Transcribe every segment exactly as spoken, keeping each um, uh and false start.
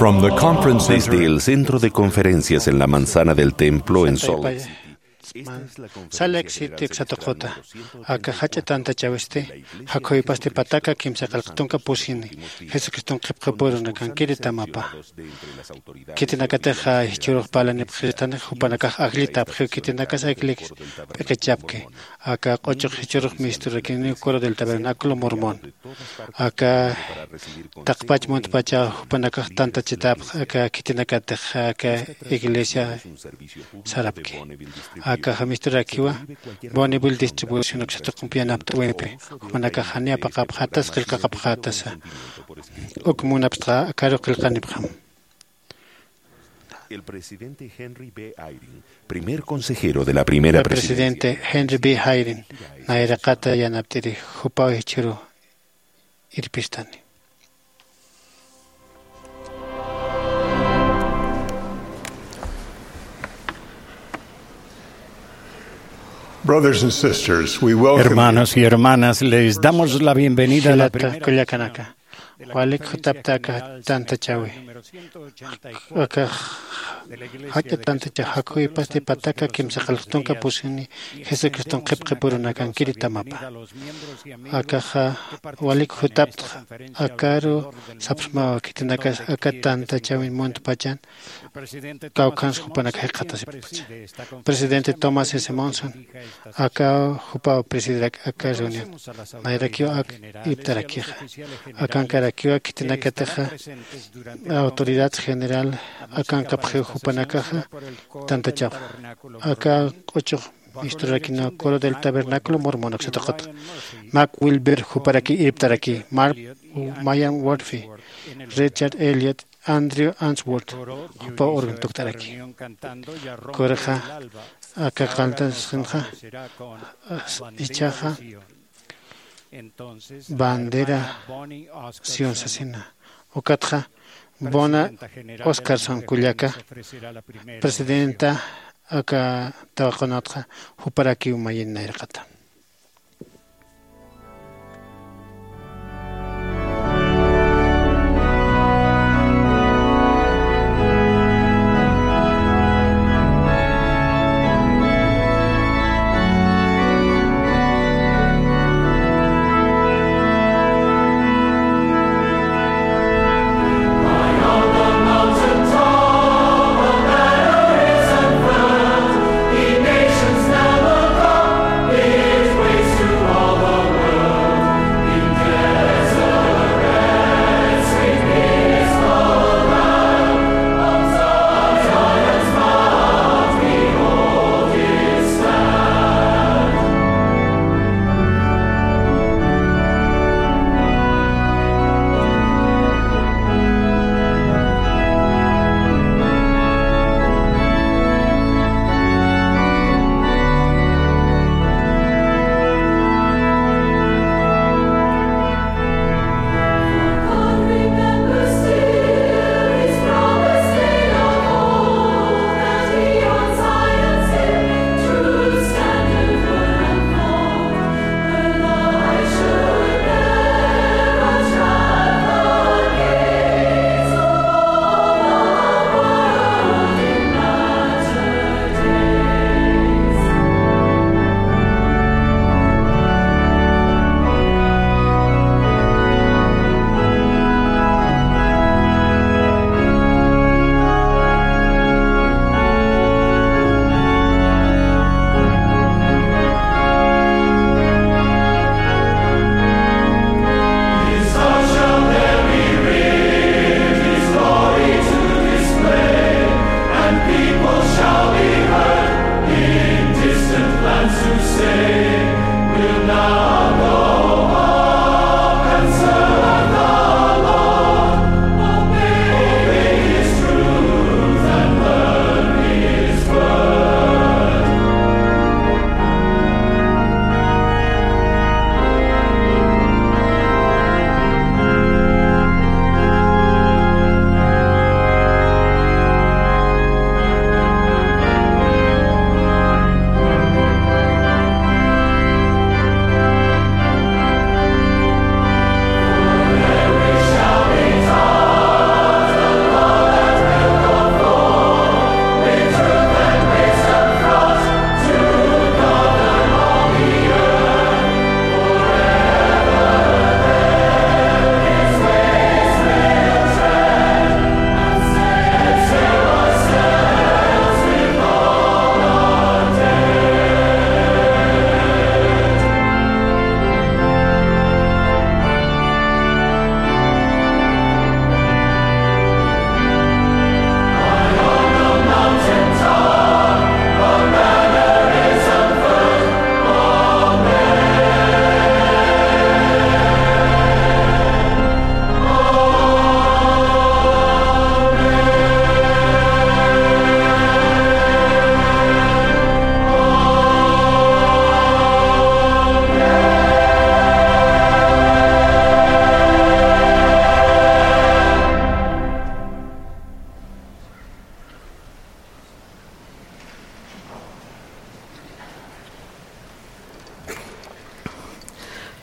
From the conference center. Desde el centro de conferencias en la manzana del templo en Salt Lake City, esta es la conferencia. Salt Lake City satuquta. Aka jach'a tantachawisti, jakhuwipasti pataka kimsa qillqa tunka pusini, Jesucriston qhipqipurunakankiri tamapa. Khitinakatix jichhürux parlanipxistani, jupanakax ajllitapxiw, khitinakas ajllix p'iqichapki. Aka q'uchux jichhürux misturakiniw Coro del Tabernáculo Mormón. Aka taqpach muntpacha jupanakax tantachitapx, aka khitinakatix aka iglesia sarapki. Aka jamisturarakiwa Bonneville distribución uksatuqumpi yanapt'äwimpi. Jupanakax janiw apaqapxätasa, qillqaqapxätasa. Uk munapxta, akaru qillqanipxam. El presidente Henry B. Eyring, primer consejero de la primera presidencia. El presidente Henry B. Eyring, nayraqata yanapt'iri, jupaw jichhüru irpistani. Brothers and sisters, we welcome you. Hermanos y hermanas, les damos la bienvenida a la primera. Jilata kullakanaka, walik jutapta aka tantachawi. Aka jach'a tantachaw jakhuwipasti pataka kimsa qillqa tunka pusini Jesucriston qhipqipurunakankiri tamapa. Akaxa walik jutapta, akaru sapxsmawa khitinakas aka tantachawin muntpachan kawkhans jupanakax jikxatasipkta. Presidente Thomas S. Monson, aka jupaw presidiraki aka reunión. Nayrakiw ak irptarakixa. Akankarakiwa khitinakatixa autoridad general akankapxiw jupanakaxa tantachapxa. Aka q'uchux misturakiniw Coro del Tabernáculo Mormón uksatuquta. Mac Wilber juparaki irptaraki. Mark, Mayan Murphy, Richard Elliot, Andrew Answorth, jupaw urgun tuktaraki. Corexa aka qalltasxinxa, jichhaxa bandera Sion sasina. Ukatxa Bona Oscarson kullaka, presidenta aka tawaqunatxa, juparakiw mayin nayraqata.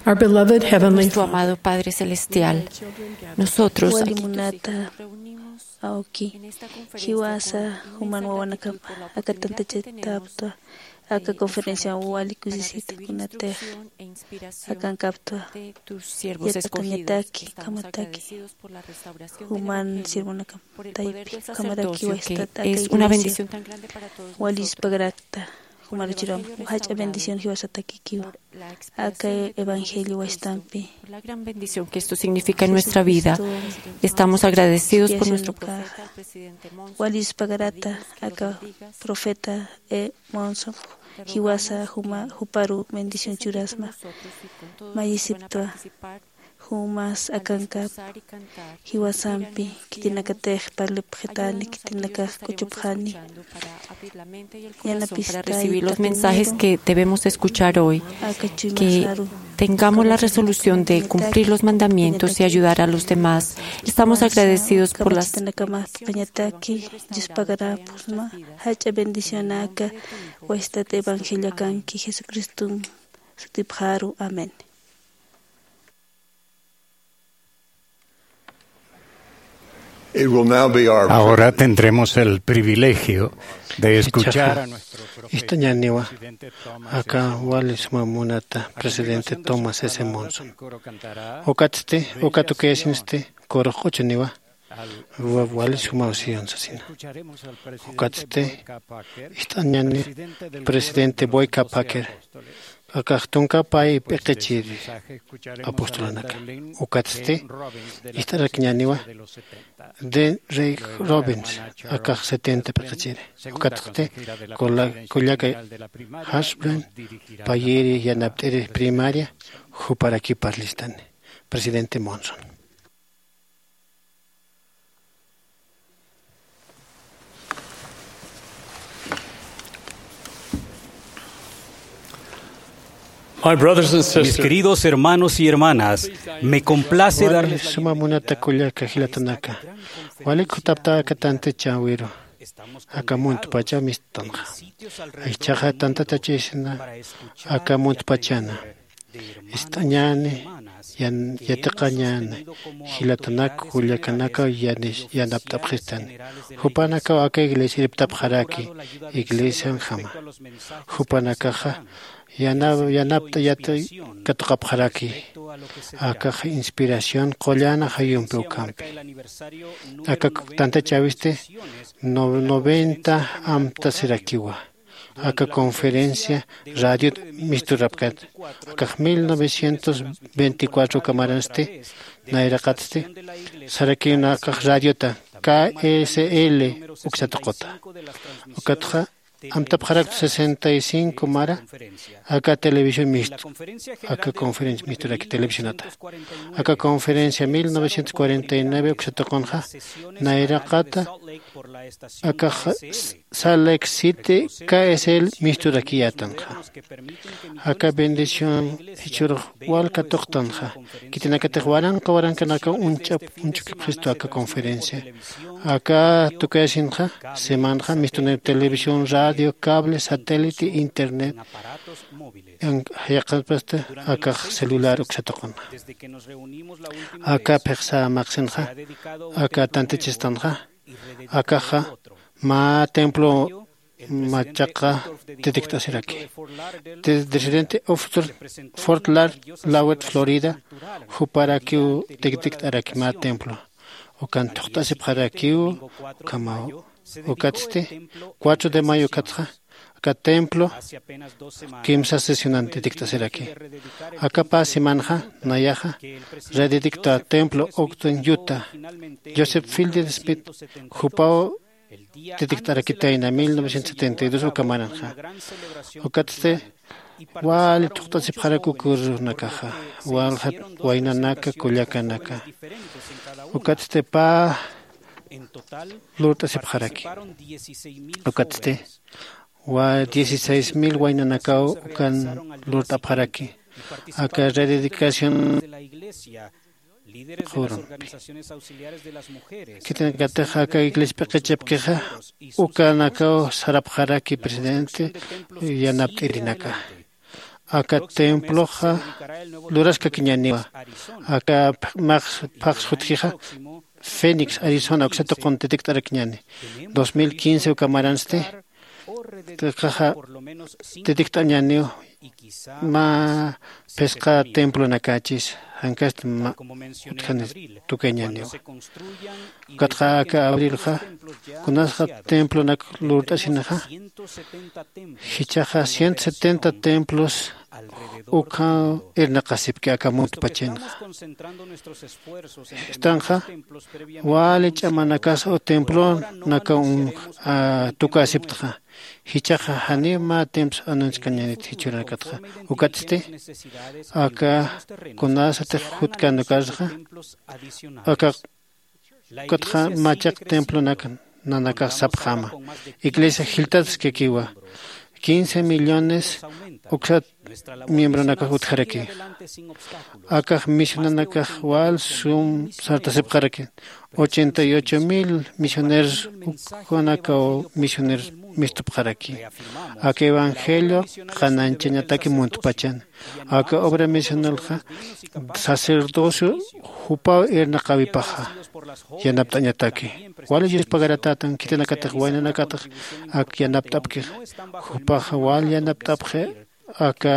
Our beloved Heavenly Nuestro Father, amado Padre Celestial, nosotros wali aquí munata nos reunimos awki en esta conferencia jiwasa con mis juman hermanos wawanakam y por la aka oportunidad que tenemos tantachitaptwa de aka conferencia estar aquí wali para recibir kusisita kunatix instrucción e inspiración akankaptwa de tus siervos escogidos. Yatakañataki, estamos kamataki agradecidos por la restauración de la juman mujer, sirvunakam por el poder taypi del kamaraki sacerdocio, que waysta es aka una iglesia bendición tan grande para todos nosotros. Walispa karakta. Jumaruchiram jach'a bendición jiwasatakikiwa. Aka evangelio waystampi. Por la gran bendición que esto significa en nuestra vida. Jesucristo, estamos agradecidos por nuestro profeta, el presidente Monson. Walispa karata aka profeta, eh, Monson jiwasa juma juparu bendición churasma. Mayisiptwa. Jumas akankap jiwasampi khitinakatix parlipxitani, khitinakax k'uchupxani. Para abrir la mente y el corazón para recibir los mensajes que debemos escuchar hoy. Que tengamos la resolución de cumplir los mandamientos y ayudar a los demás. Estamos agradecidos por las... Jach'a bendición aka waystat evangelio akanki Jesucristo sutipxaru. Amén. It will now be our Ahora tendremos el privilegio de escuchar a nuestro profeta, ist'añäniwa, presidente Thomas aka S. Monson, wali suma munata presidente Thomas S. Monson. Ukatsti, uka tukiyasinsti, kurux q'uchuniwa, wa-, wali suma usiyon sasina. Ukatsti, ist'añäni presidente Boyka Packer, akax tunka pay p'iqichiri apostolanaka. Ukatsti, ist'arakiñäniwa de Ray Robbins, akax setenta p'iqichiri. Ukatsti, kulla-, kullaka Hashbren, payiri yanapt'iri primaria, juparaki parlistani. Presidente Monson. My brothers and sisters, mis queridos hermanos y hermanas, me complace darles la bienvenida a esta conferencia. Wali suma munata kullaka jilatanaka. Wali kutapta aka tantachäwiru. Aka muntpacha mistutanxa. Jichhaxa tantatachasina aka muntpachana. Ist'añäni, yan-, yatiqañäni, jilatanak, kullakanaka, yanis-, yanapt'apxistani. Jupanakaw aka iglesia irptapxaraki, iglesianjama. Jupanakaxa, yana-, yanapt'a yati-, katuqapxaraki. Akaxa inspiración, qullana jayumpi ukhampi. Aka tantachäwisti, no-, noventa amtasirakiwa. Aka conferencia radio misturapkata. Akax mil novecientos veinticuatro uka maransti, nayraqatsti, sarakiw akax radiota K S L uksa tuquta. Ukatxa amtapxarakta sesenta y cinco mara, aka televisión mistu, aka conferencia misturaki televisionata. Aka conferencia mil novecientos cuarenta y nueve uksa tuqunxa, nayraqata, akax Salt Lake City K S L misturakiyätanxa. Aka bendición jichhürux wal katuqtanxa. Khitinakatix waranqa waranqanakaw uñch'ap-, uñch'ukipxistu aka conferencia. Aka tukayasinxa, semanxa, mistunir televisión, radio, cable, satélite, internet. Yaqhipasta akax celular uksa tuqunxa. Aka phixsa maqsinxa, aka tantachistanxa, akaxa mä templo machaqa titikt'asiraki. Te-, residente of Fort Lauderdale, Lawet, Florida, juparakiw titikt'araki mä templo. Ukan thuqt'asipxarakiw, ukhamaw. Ukatsti, cuatro de mayo ukatxa, aka templo kimsa sesionan titikt'asiraki. Aka pä semanxa, nayaxa, rededicta templo Ogden, Utah, Joseph Fielding Smith, jupaw titikt'arakitayna mil novecientos setenta y dos uka maranxa. Ukatsti, wali thuqt'asipxarak uk urunakaxa, walja waynanaka, kullakanaka. Ukatsti pä lurt'asipxaraki. Ukatsti, wa dieciséis mil waynanakaw ukan lurt'apxaraki. Aka rededicación qurunpi. Khitinakatix aka iglesia p'iqichapkixa, ukanakaw sarapxaraki presidente yanapt'irinaka. aka temploxa luraskakiñaniwa. Aka phax phax jutjixa Phoenix, Arizona uksatuqun titikt'arakiñani. Dos mil quince uka maransti tikaxa titikt'añaniw mä phisqa templonakachis jankasti mä utjani tukañaniwa. Ukatxa aka abrilxa kunasxa templonak lurt'asinaxa jichaxa ciento setenta templos ukha irnaqasipki aka muntpachinxa. Jistanxa wali ch'amanakasa o templonaka tukasiptxa jichaxa janiw mä templos anunchkañanit jichhürnakatxa. Ukatsti aka kunasatix jutkanukarxa aka ukatxa machaq templonak nanakax sapxäma. Iglesia jiltatskakiwa quince millones uksat miembronakax utjaraki. Akax misionanakax wal sum sartasipxaraki. Ochenta y ocho mil misioneros ukanakaw misioneros mistupxaraki. Aka evangelio qananchañataki muntpachan. Aka obra misionalxa sacerdocio jupaw irnaqawipaxa yanapt'añataki. Wali yuspagaratätan khitinakatix waynanakatix ak yanapt'apkixa jupaxa wal yanapt'apxi aka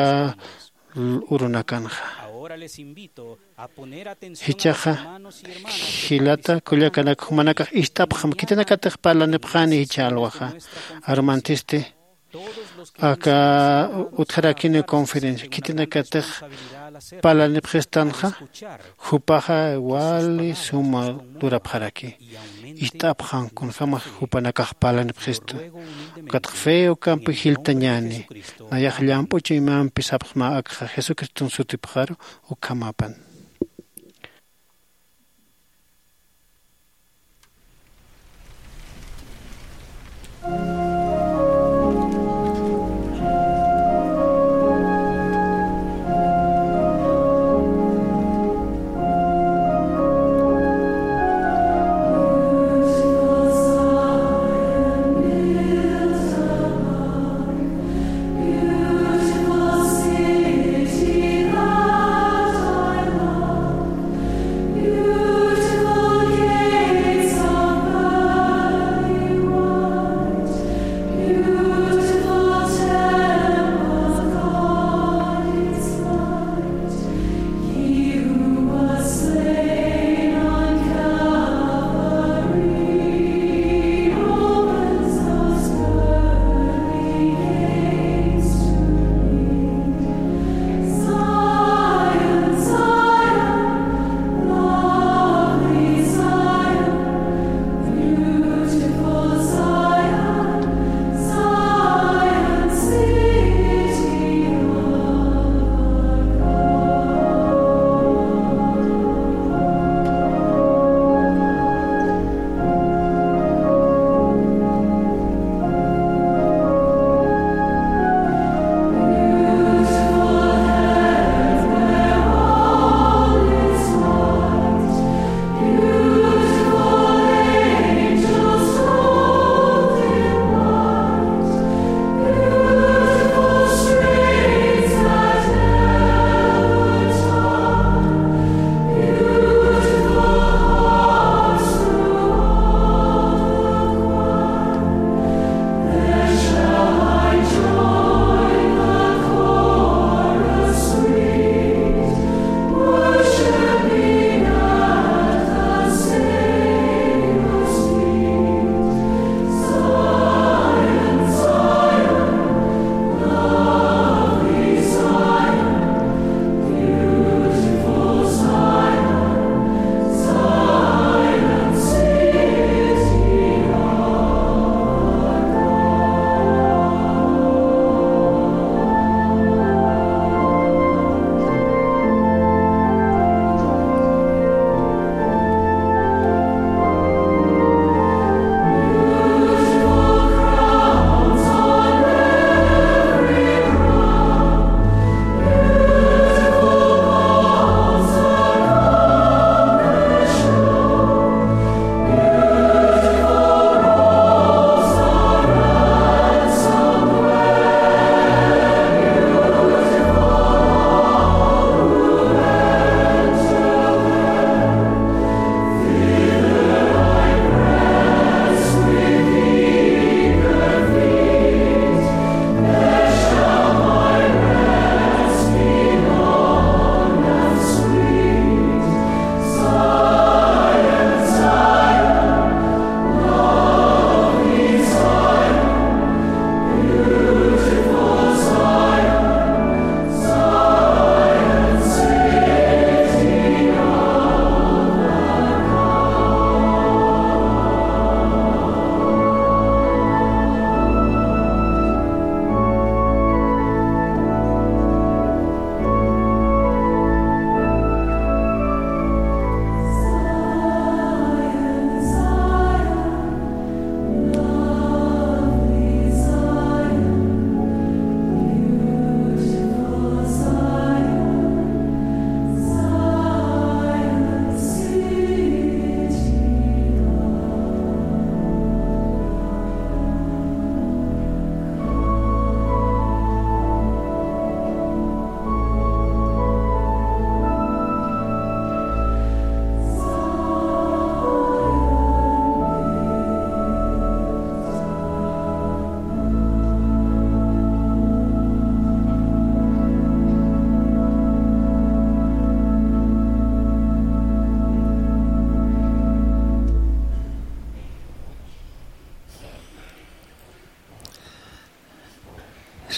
urunakanxa. Jichaxa jilata kullakanak jumanakax ist'apxam khitinakatix parlanipxani jichha alwaxa. Arumantisti aka utjarakiniw conferencia khitinakatix parlanipxistanxa jupaxa wali suma lurapxaraki. Ist'apxam kunjämax jupanakax parlanipxistu. Ukatxa fe ukampi jiltañäni. Nayax llamp'u chuymampi sapxsma akxa jesucriston sutipxaru. Ukhamapan.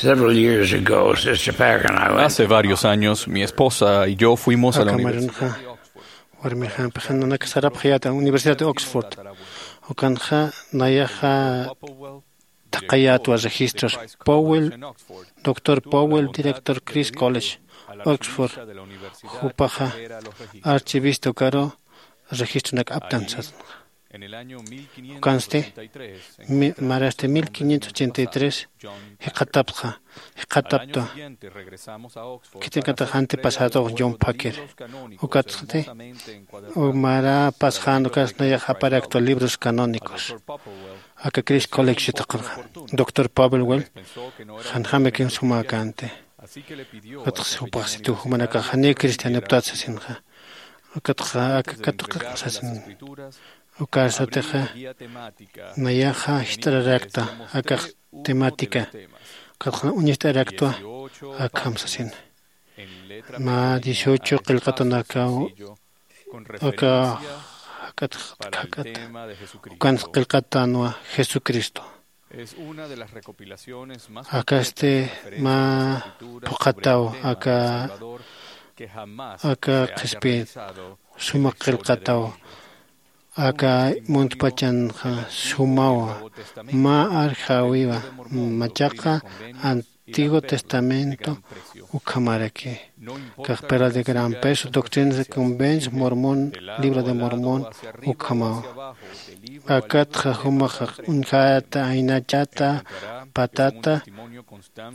Several years ago, Sister Packer and I went Hace varios años, mi esposa y yo fuimos a la Aka universidad. Maranxa warmixampixan nanaka sarapxayäta Universidad de Oxford. Ukanxa nayaxa thaqhayätwa registros. Powell, doctor Powell, director Chris College, Oxford. Jupaxa archivista ukaru registronak aptan sasna. Ukansti, mi- marasti mil quinientos ochenta y tres jikxatapxa, jikxataptwa. Khitinakatix antepasado John Packer. Ukatsti, mara pasxän ukas nayax aparaktwa libros canónicos. Aka Chris College tuqinxa. Doctor Powell, janjamakiw sumäkänti. Ukatxa jupax situ jumanakax janiw cristianiptat sasinxa. Ukatxa aka katuqix sasin. Ukarsatixa nayaxa jist'ararakta akax temática. Ukatxa uñacht'araktwa akham sasin. Mä dieciocho qillqatanakaw aka jak'at jak'at ukan qillqatänwa Jesucristo. Akasti mä phuqhataw aka aka qhispiyit suma qillqataw aka muntpachanxa sumawa mä arjäwiwa machaqa Antiguo Testamento ukhamaraki. Caja Perla de Gran Peso, Doctrinas y Convenios, Mormón, Libro de Mormón ukhamawa. Akatxa jumaxa uñjäta, aynachäta, patata,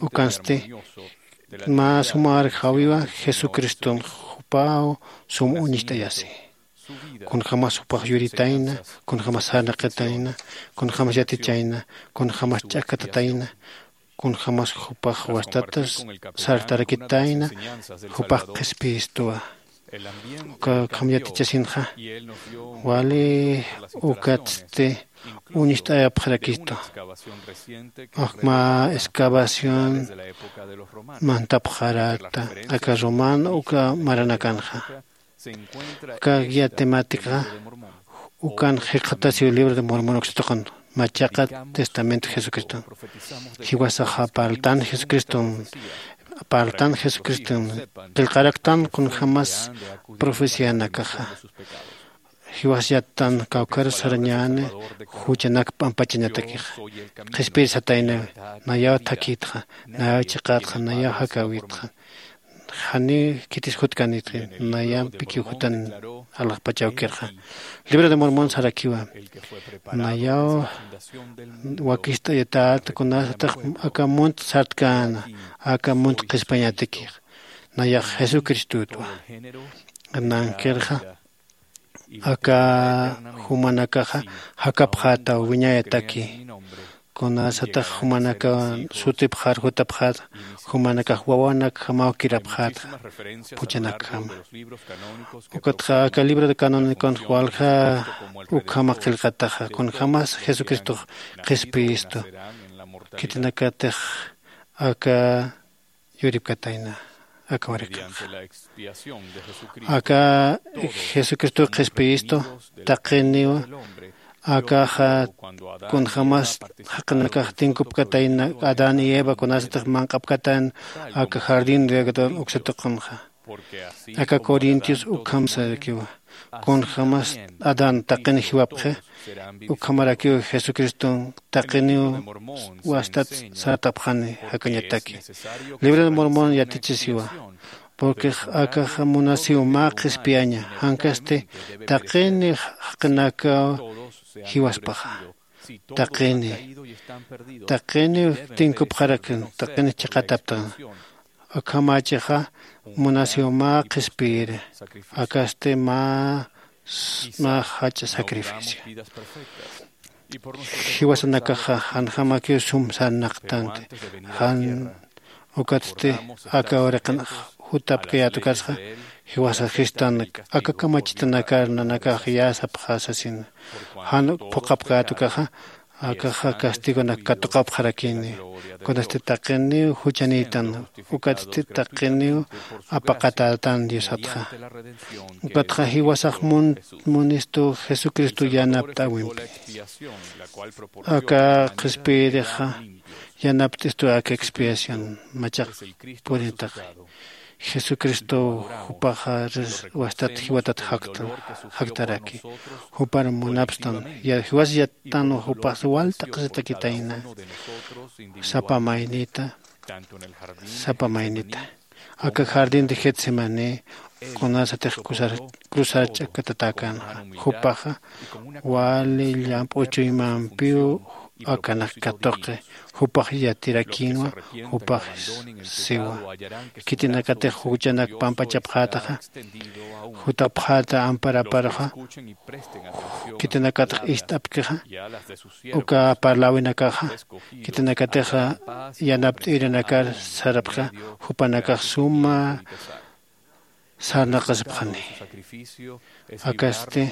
ukansti mä suma arjäwiwa Jesucriston jupaw sum uñicht'ayasi. Kunjämas jupax yuritayna, kunjämas sarnaqitayna, kunjämas yatichayna, kunjämas ch'akatatayna, kunjämas jupax wastata sartarakitayna, jupax qhispiyistuwa. Uka ukham yatichasinxa wali ukatsti uñicht'ayapxarakistu. Mä excavación mantapxaräta aka romano uka maranakanxa. Aka guía temática ukan jikxatasiw Libro de Mormon uksatuqun machaqa Testamento Jesucriston. Jiwasaxa parltan Jesucriston, parltan Jesucriston, qillqaraktan kunjämas profecianakaxa. Jiwas yattan kawkhar sarañäni juchanak p'ampachañatakixa. Qhispiyir sataynawi, nayaw thakïtxa, nayaw chiqätxa, nayaw jakäwitxa. Janiw khitis jutkanitxa, nayampikiw jutan alaxpachawkirxa. Libro de Mormon sarakiwa. Nayaw wakist'ayatät kunasatix aka munt sartkäna, aka munt qhispiyañatakix. Nayax Jesucristotwa. Nanqirxa aka jumanakaxa jakapxätaw wiñayataki. Kunasatix jumanakaw sutipxar jutapxäta, jumanakax wawanakjamaw kirapxäta, juchanakjama. Ukatxa aka libro de canónicon walja ukhama qillqataxa, kunjämas Jesucristox qhispiyistu. Khitinakatix aka yuripkatayna aka wariqinxa. Aka Jesucristo qhispiyistu taqiniw akaxa kunjämas jaqinakax tinkupkatayna Adán y Eva kunasatix manq'apkatan aka jardín de Edén uksatuqunxa. Aka Corintios ukham sarakiwa. Kunjämas Adán taqin jiwapxi, ukhamarakiw Jesucriston taqiniw wastat sartapxani jakañataki. Libro de Mormon yatichisiwa, porque akaxa munasiw mä qhispiyaña, jankasti taqini jaqinakaw jiwaspaxa. Taqini, taqini tinkupxarakin, taqini chiqataptan. Akhamächixa munasiw mä qhispiyiri, akasti mä, mä jach'a sacrificio. Jiwasanakaxa janjamakiw sum sarnaqtanti, jan ukatsti aka wariqin jutapkayät ukatxa, jiwasa jistan aka kamachitanakar nanakax yäsapxä sasina. Jan phuqhapkät ukaxa, akaxa castigonak katuqapxarakini, kunasti taqiniw juchanïtan, ukatsti taqiniw apaqatätan Diosatxa. Ukatxa jiwasax mun-, munistu Jesucristo yanapt'äwimpi. Aka qhispiyirixa, yanapt'istu aka expiación machaq purintaqa. Jesucristo jupaxa wastat jiwatat jaktaraki. Jupar munapstan jiwas yattanwa jupax walt'aqisitakitayna. Sapa maynita sapa maynita aka jardín de getsemaní kunasatix cruzar ch'akatatäkänxa. Jupaxa wali llamp'u chuymampiw akanak katuqi jupax yatirakïnwa. Jupax siwa khitinakatix juchanak pampachapxätaxa jutapxäta amparaparuxa. Khitinakatix ist'apkixa uka parläwinakaxa khitinakatixa yanapt'ïrinakar sarapxa jupanakax suma sarnaqasipxani. Akasti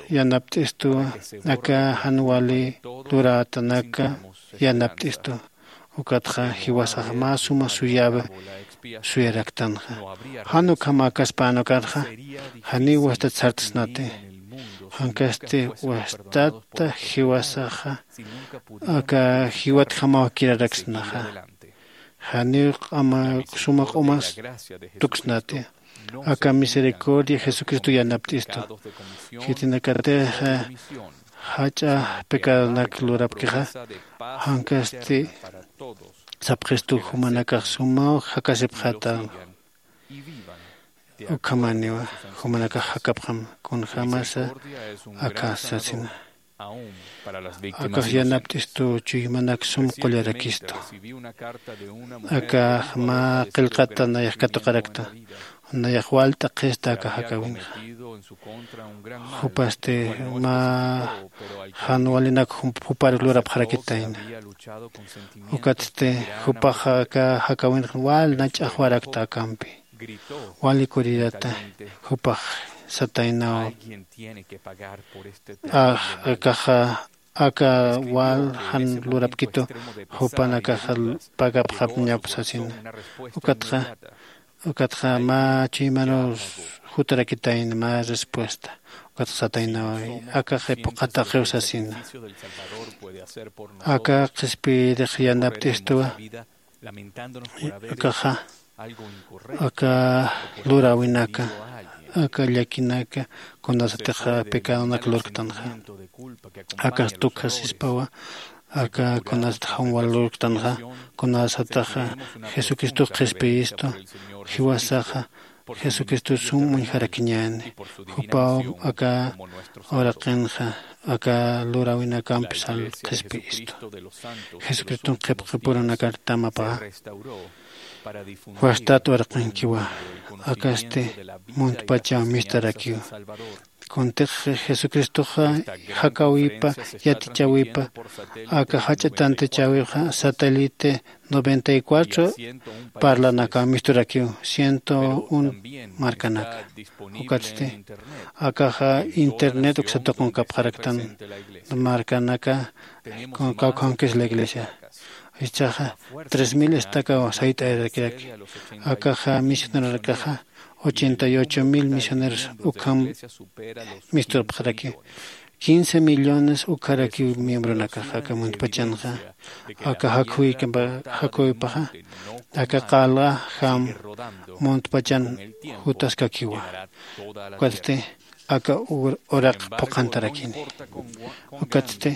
yanapt'istuwa aka jan wali lurätanaka yanapt'istuwa. Ukatxa jiwasax mä suma suyäwi suyaraktanxa. Jan ukham akaspän ukarxa janiw wastat sartsnati. Jankasti wastata jiwasaxa aka jiwatjamaw kiraraksnaxa. Janiw q'ama suma q'umas tuksnati. Aka misericordia jesucristo yanapt'istu. Khitinakatix jach'a pecadonak lurapkixa jankasti sapxistu jumanakax sumaw jakasipxäta. Ukhamaniwa jumanakax jakapxam kunjämasa aka sasina. Akax yanapt'istu chuymanak sum qullarakistu. Akax mä qillqata nayax katuqarakta nayax walt'a qhista aka jakäwinxa. Jupasti mä jan walinak jupar lurapxarakitayna. Ukatsti jupax aka jakäwinxa wal nach'axwarakta akampi wali kurirata. Jupax sataynaw akaxa aka wal jan lurapkitu jupanakaxa pagapxapñap sasina. Ukatxa ukatxa mä chuymanuw jutarakitayna mä respuesta. Ukatxa sataynaw akaxi phuqhataqiw sasina. Aka qhispiyirix yanapt'istuwa. Akaxa aka luräwinaka aka llakinaka kunasatix pecadonaka lurktanxa. Akas tukjasispawa aka kunasatix jamwal lurktanxa. Kunasatix jesucristox qhispiyistu jiwasaxa jesucristo sum uñjarakiñäni. Jupaw aka uraqinxa aka luräwinakampi sal qhispiyistu. Jesucriston qhipqipurunakar tamapaxa wastat uraqinkiwa. Akasti muntpachaw mistarakiwa. Kuntix jesucristoxa jakäwipa yatichäwipa aka jach'a tantachäwixa satélite noventa y cuatro parlanakaw misturakiw ciento un markanaka. Ukatsti akaxa internet uksatuqunkapxaraktan markanaka kawkhankis la iglesia. Ichaxa tres mil estakaw sayt'ayarakiraki. Akaxa misioneronakaxa ochenta y ocho mil misioneros ukham misturapxaraki. Quince millones ukharaki miembronakaxa aka muntpachanxa aka jakhuykapa jakuypaxa aka qalqa jam muntpachan jutaskakiwa. Ukatsti aka uraq phuqhantarakini. Ukatsti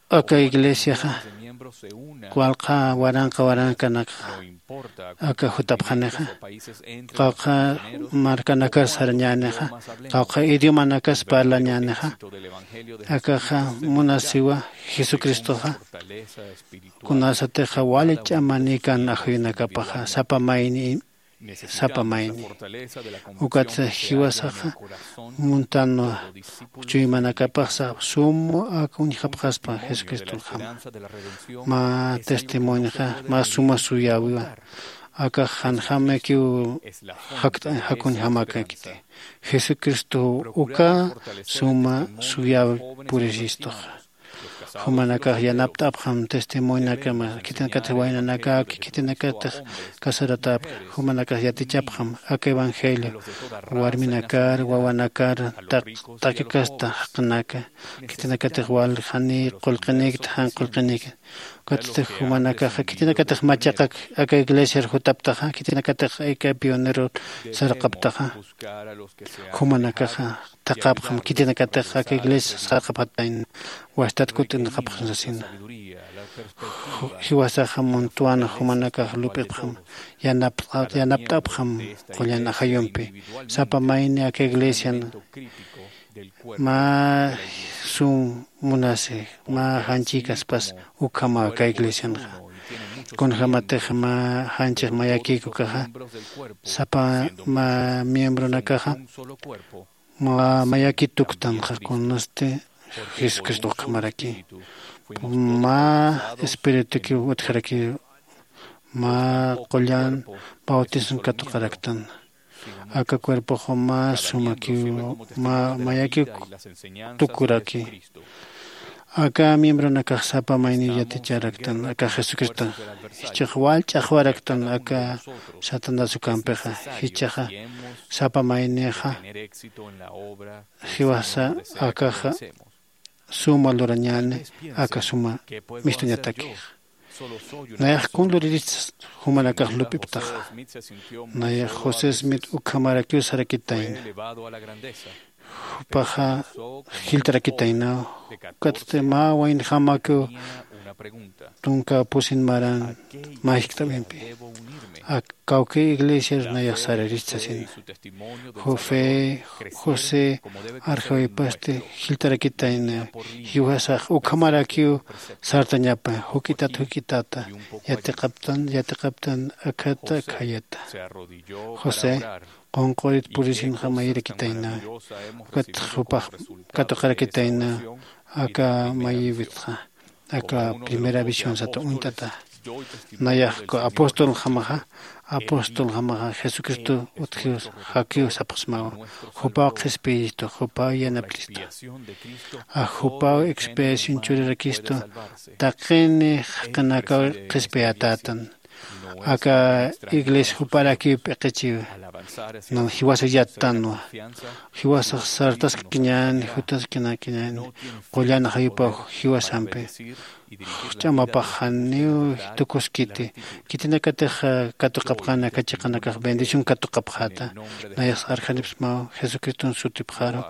aka iglesiaxa walqa waranqa warankanakxa aka jutapxanixa qawqha markanakar sarañänixa qawqha idiomanakas parlañänixa. Akaxa munasiwa jesucristoxa kunasatixa wali ch'amanikan ajuyunakapaxa sapa mayni sapa mayni. Ukatsa jiwasaxa muntanwa chuymanakapaxsa sum aka uñjapxaspa jesucristonjama. Mä testimonioxa mä suma suyäwiwa. Akax janjamakiw jakuñjamäkakiti. Jesucristow uka suma suyäwi purisistuxa. Jumanakax yanapt'apxam testimonionakama, khitinakatix waynanakaki, khitinakatix casaratäpka, jumanakax yatichapxam aka evangelio, warminakar, wawanakar, taq-, taqi kasta jaqinaka, khitinakatix wal jani qullqinïkta, jan qullqinïkta. Ukatsti jumanakaxa khitinakatix machaqak aka iglesiar jutaptaxa, khitinakatix aka pionero sarqaptaxa, jumanakaxa thaqhapxam khitinakatix aka iglesia sarqapxatayna, wastat kut'inxapxam sasina. Ju-, jiwasaxa muntwan jumanakax lup'ipxam, yanapt'a-, yanapt'apxam qullan ajayumpi. Sapa mayni aka iglesian mä sum munasi, mä janchïkaspas ukhamaw aka iglesianxa. Kunjämatix mä janchix mayakïk ukaxa, sapa mä miembronakaxa mä mayakï tuktanxa, kunasti Jesucristo ukhamaraki. Mä espiritukiw utjaraki, mä qullan bautismo katuqaraktan. Aka cuerpoxa mä sumakiw, mä mayakiw tukuraki. Aka miembronakax sapa mayniw yaticharaktan aka Jesucristo. Jichhax wal ch'axwaraktan aka Satanás ukampixa. Jichhaxa sapa maynixa jiwasa akaxa suma lurañäni aka suma mistuñataki. Nayax kun luriristas jumanakax lup'iptaxa. Nayax José Smith ukhamarakiw sarakitayna. Jupaxa jilltarakitayna. Ukatsti mä waynjamakiw tunka pusin maran mä jiskt'awimpi. Ak-, kawki iglesiar nayax sararist sasina. José, José arjawipasti jilltarakitayna, jiwasax ukhamarakiw sartañapa, juk'itat juk'itata, yatiqaptan yatiqaptan, akhata akhayata. José qunqürit purisinxa mayirakitayna, ukat jupax katuqarakitayna aka mayïwitxa. Aka primera visión sata uñt'ata. Nayax apóstoljamaxa, apóstoljamaxa Jesucristo utjiw, jakiw sapxsmawa. Jupaw qhispiyistu, jupaw yanapt'istu. A jupaw expiación churirakistu, taqini jaqinakaw qhispiyatätan. Aka iglesia juparakiw p'iqichiw. Nan jiwasa yattanwa. Jiwasax sartaskakiñäni, jutaskinakiñäni. Qullan ajayupaw jiwasampi. Ch'amapax janiw tukuskiti. Khitinakatix katuqapxäna aka chiqanakax bendición katuqapxäta. Nayax arjanipxsmaw Jesucriston sutipxaru.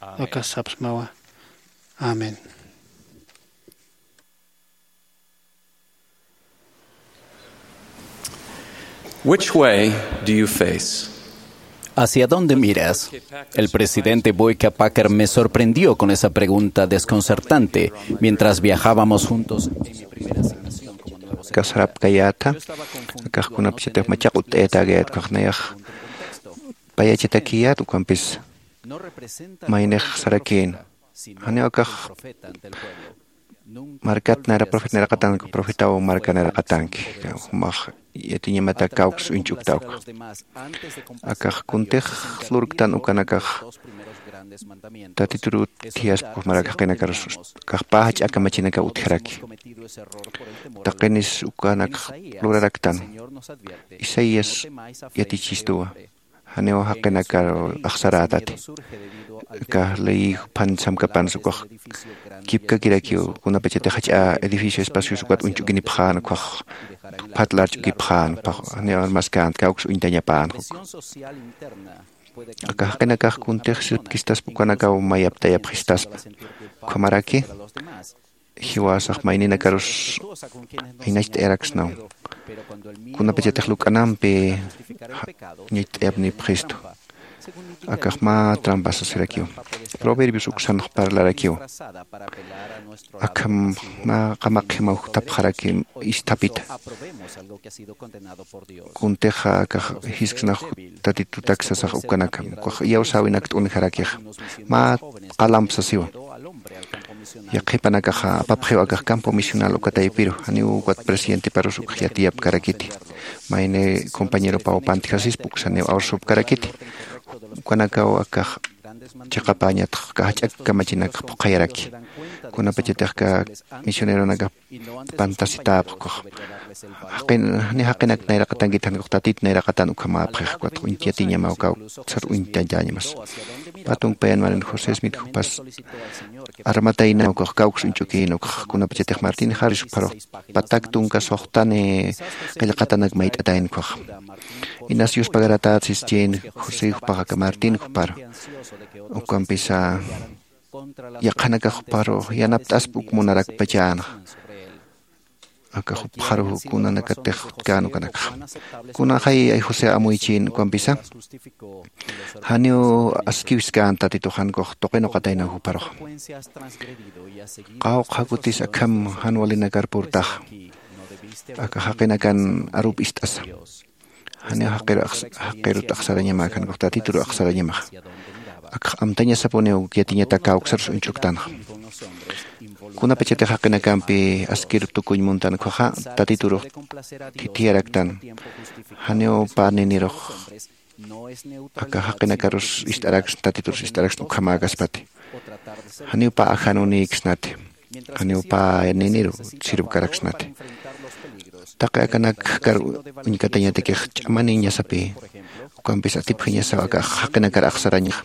Akas sapxsmawa. Amén. Which way do you face? ¿Hacia dónde miras? El presidente Boyka Packer me sorprendió con esa pregunta desconcertante mientras viajábamos juntos en mi primera asignación como nuevo secretario. Kasarapkayäta, akax kunapachatix machaq utt'ayatagayat ukax nayax payachatakiyät ukampis maynix sarakïn. Janiw akax markat nayra profeta nayraqatanki, profetaw marka nayraqatanki, jumax yatiñamata kawks uñch'ukta uka. Akax kuntix lurktan ukanakax Tatitur utjaspa, jumarak jaqinakarus akax pä jach'a kamachinakaw utjaraki. Taqinis ukanakax luraraktan. Isaías yatichistuwa. Janiw jaqinakar axsarätati. Aka ley juphan samkapansa ukax kipkakirakiw, kunapachatix jach'a edificio espacios ukat uñch'ukinipxän, ukax juphat larch'ukipxän, janiw armaskänti, kawks uñtañapän uk. Aka jaqinakax kuntix sipkistaspa, ukanakaw mayaptayapxistaspa. Ukhamaraki jiwasax mayninakarus aynacht'ayaraksnaw. Kunapachatix luk'anampi ñacht'ayapnipxistu. Akax mä trampa sasirakiw. Proverbios uksanx parlarakiw. Akham mä qamaqjimaw jutapxaraki isthapita. Kuntixa akax jisksnax Tatitutak sasax ukanakam, ukax iyawsäwinakt'unjarakix. Mä qalamp sasiwa. Yaqhipanakaxa apapxiw akax campo misional uka taypiru, janiw ukat presidentiparus ukax yatiyapkarakiti. Mayni compañeropaw pantjasispa uksaniw awsupkarakiti. Ukanakaw akax chiqapäñatx ka jach'ak kamachinakx phuqhayaraki. Kunapachatix ka misioneronakax pantasitäpxkuxa. Jaqin ni jaqinak nayraqatankit jankux tatit nayraqatan ukhamäpxix ukat uñtatiñamaw kawksar uñtañamas. Pä tunkpayan marin josé smit jupas armataynaw kux kawks uñch'ukïn ukxa kunapachatix martin jaris jupharux patak tunka suxtani qillqatanak mayt'atayn ukhaxa. Inas yuspagaratät sischïn josé jupax aka martin jupar ukampisa yaqhanakax jupharux yanapt'asp uk munarakpachänxa. Aka jupxaru kunanakatix jutkän ukanakxa kunanxay ay josé amuychïn ukampisa janiw askiwiskän tatitux jankux tuqinuqataynaw jupharuxa. Qawqha kutis akham jan walinakar purtaxa aka jaqinakan arup ist'asa. Janiw jaqirut axsarañamäkhankux tatitur axsarañamaxa. Akx amtañasapuniw yatiñatak kawksarus uñch'uktanxa. Kunapachatix jaqinakampi askir tukuñ muntan ukhaxa tatiturux thithiyaraktan. Janiw pä ninirux aka jaqinakarus ist'araksn tatiturus ist'araksn ukhamäkaspati. Janiw pä ajanunïksnati. Janiw pä niniru sirvkaraksnati. Taqi akanak kar uñkatañatakix ch'amaniñasapï. Ukampis atipjañasaw aka jaqinakar axsarañaxa.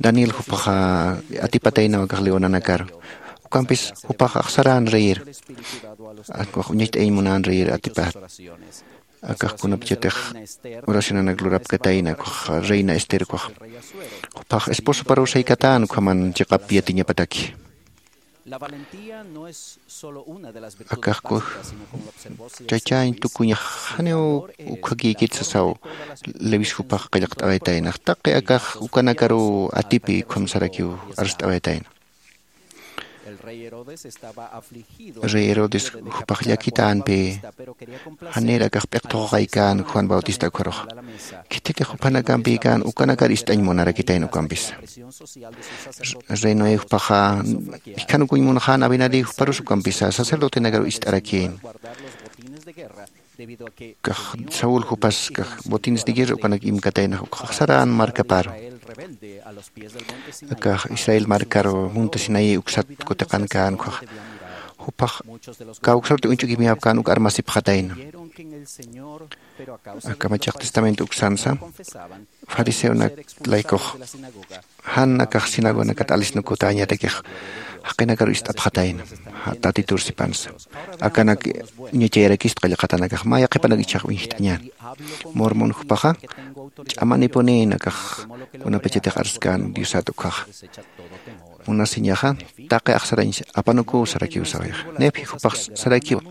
Daniel jupaxa atipataynaw akax leonanakar. Ukampis jupax axsaran reyir. Akux uñacht'ayañ munan reyir atipät. Akax kunapachatix oracionanak lurapkatayna ukax reina ester ukax jupax esposoparuw saykatän ukhaman chiqap yatiñapataki. Akax kuj chachañ tukuñax janiw ukhakïkit sasaw. Levis jupax qillqt'awaytaynax taqi akax ukanakaruw atipi ukham sarakiw arst'awaytayna. Rey herodes jupax llakitänpi janir akax p'iqthuqaqaykän juan bautista ukharux. Khithitix juphanakampïkän ukanakar ist'añ munarakitayna ukampisa. Rey noé jupaxa jikhanukuñ munxän abinadí juparus ukampisa sacerdotenakaru ist'arakïn. Kax saúl jupas kax botines de guerra ukanak imkataynax ukxaxsarän markaparu. Akax israel markaru munta sinaí uksat kutiqankän ukhax jupax kawksarti uñch'ukimiyapkän uk armasipxatayna. Aka machaq testamento uksansa fariseonak laykux jan akax sinagonakat alisnukutäñatakix jaqinakaru ist'apxatayna. Tatitur sipansa akanak ñachayarakist qillqatanakax maya qhipanak ichhax uñjt'añän. Mormon jupaxa ch'amanipunïn akax kunapachatix arskän diosat ukhaxa. Munasiñaxa taqi axsarañ apanukuw sarakiw sawayaxa nephi jupax sarakiwa.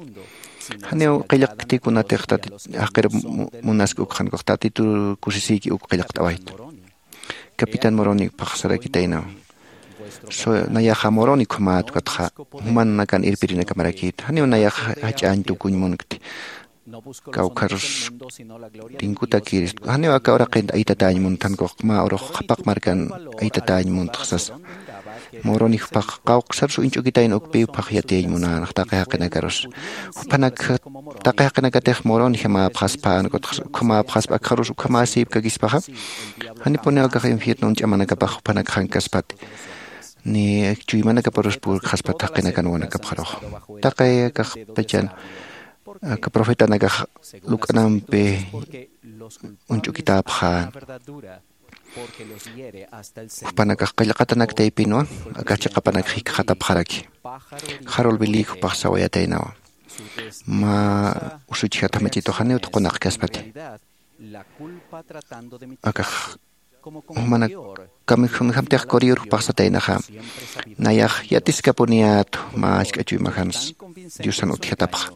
Janiw qillqkti kunatix jaqir munask ukxankux tatitur kusisïki uk qillqt'awayta. Capitán moroni paxsarakitaynaw. Nayaxa moroni ukhamat ukatxa jumanakan irpirinakamarakïta janiw nayaxa jach'añ tukuñ munkti. Kawkharus tinkutakirist janiw aka uraqin aytatañ munthankux mä urux qhapaq markan aytatañ muntxsasa. Moroni jupax qawqsarus uñch'ukitayna ukpi jupax yatiyañ munänax taqi jaqinakarus. Jupanak taqi jaqinakatix moroni jamäpxaspa nukutxas ukhamäpxaspa akxarus ukhamäsïpkakispaxa. Janipuniw akax infiernun ch'amanakapax jupanak jankaspati ni chuymanakaparus purkxaspat jaqinakan wanakapxarux. Taqi akaxpachan aka profetanakax luk'anampi uñch'ukitäpxän. Jupanakax qillqatanaktaypinwa akax chiqapanak jikxatapxaraki. Jarul bilïk jupax sawayataynawa. Mä usuchjat jamachituxaniw tuqunaqkaspati. Akax jumanak kamijunjamtix coriyur jupaxsataynaxa. Nayax yatiskapuniyät mä ask'achuymajansa diosan utjatapxa.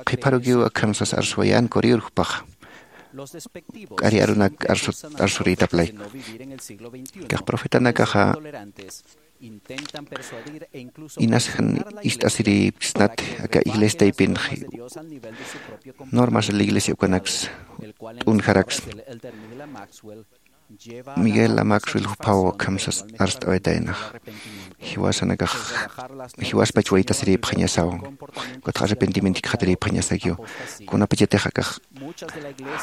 Qhipharukiw akham sas arsuwayän coriyur jupaxa. K'ari arunak arsurïtaplayku. Kax profetanakaxa inas jan ist'asirïpksnat aka iglesiataypinxi. Normas de la iglesia ukanaks t'unjaraks. Miguel amaxwil juphaw akham sas arst'awaytaynax. Jiwasanakax jiwaspach waytasirïpxañasaw. Ukatxa arrepentimiento jikxatirïpxañasakiw. Kunapachatix akax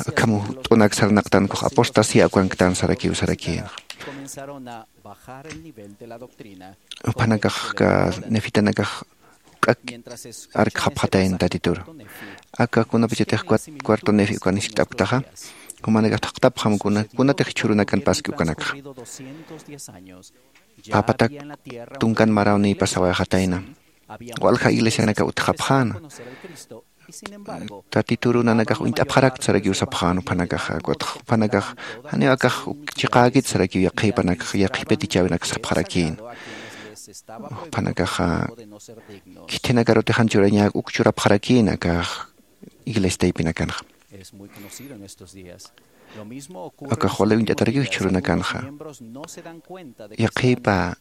akham t'unak sarnaqtankux apostasia ukanktan sarakiw sarakïnxa. Jupanakax ka nefitanakax juk'ak arkxapxatayna tatituru. Aka kunapachatix cuat- cuarto nefi ukan jiskt'apktaxa, jumanakax thaqtapxam kuna- kunatix jichhürunakan paski ukanakxa. Phapatak tunkan marawnï pasawayxatayna. Walja iglesianakaw utjapxäna. Tatitur nanakax uñt'apxarakta sarakiw sapxän juphanakaxa. Ukatxa juphanakax janiw akax chiqäkit sarakiw yaqhipanakax, yaqhipitichäwinakax sapxarakïna. Juphanakaxa khithinakarutix jan churañäk uk churapxarakïna akax iglesia taypinakanxa. Akax wali uñt'atarakiw jichhürunakanxa. Yaqhipa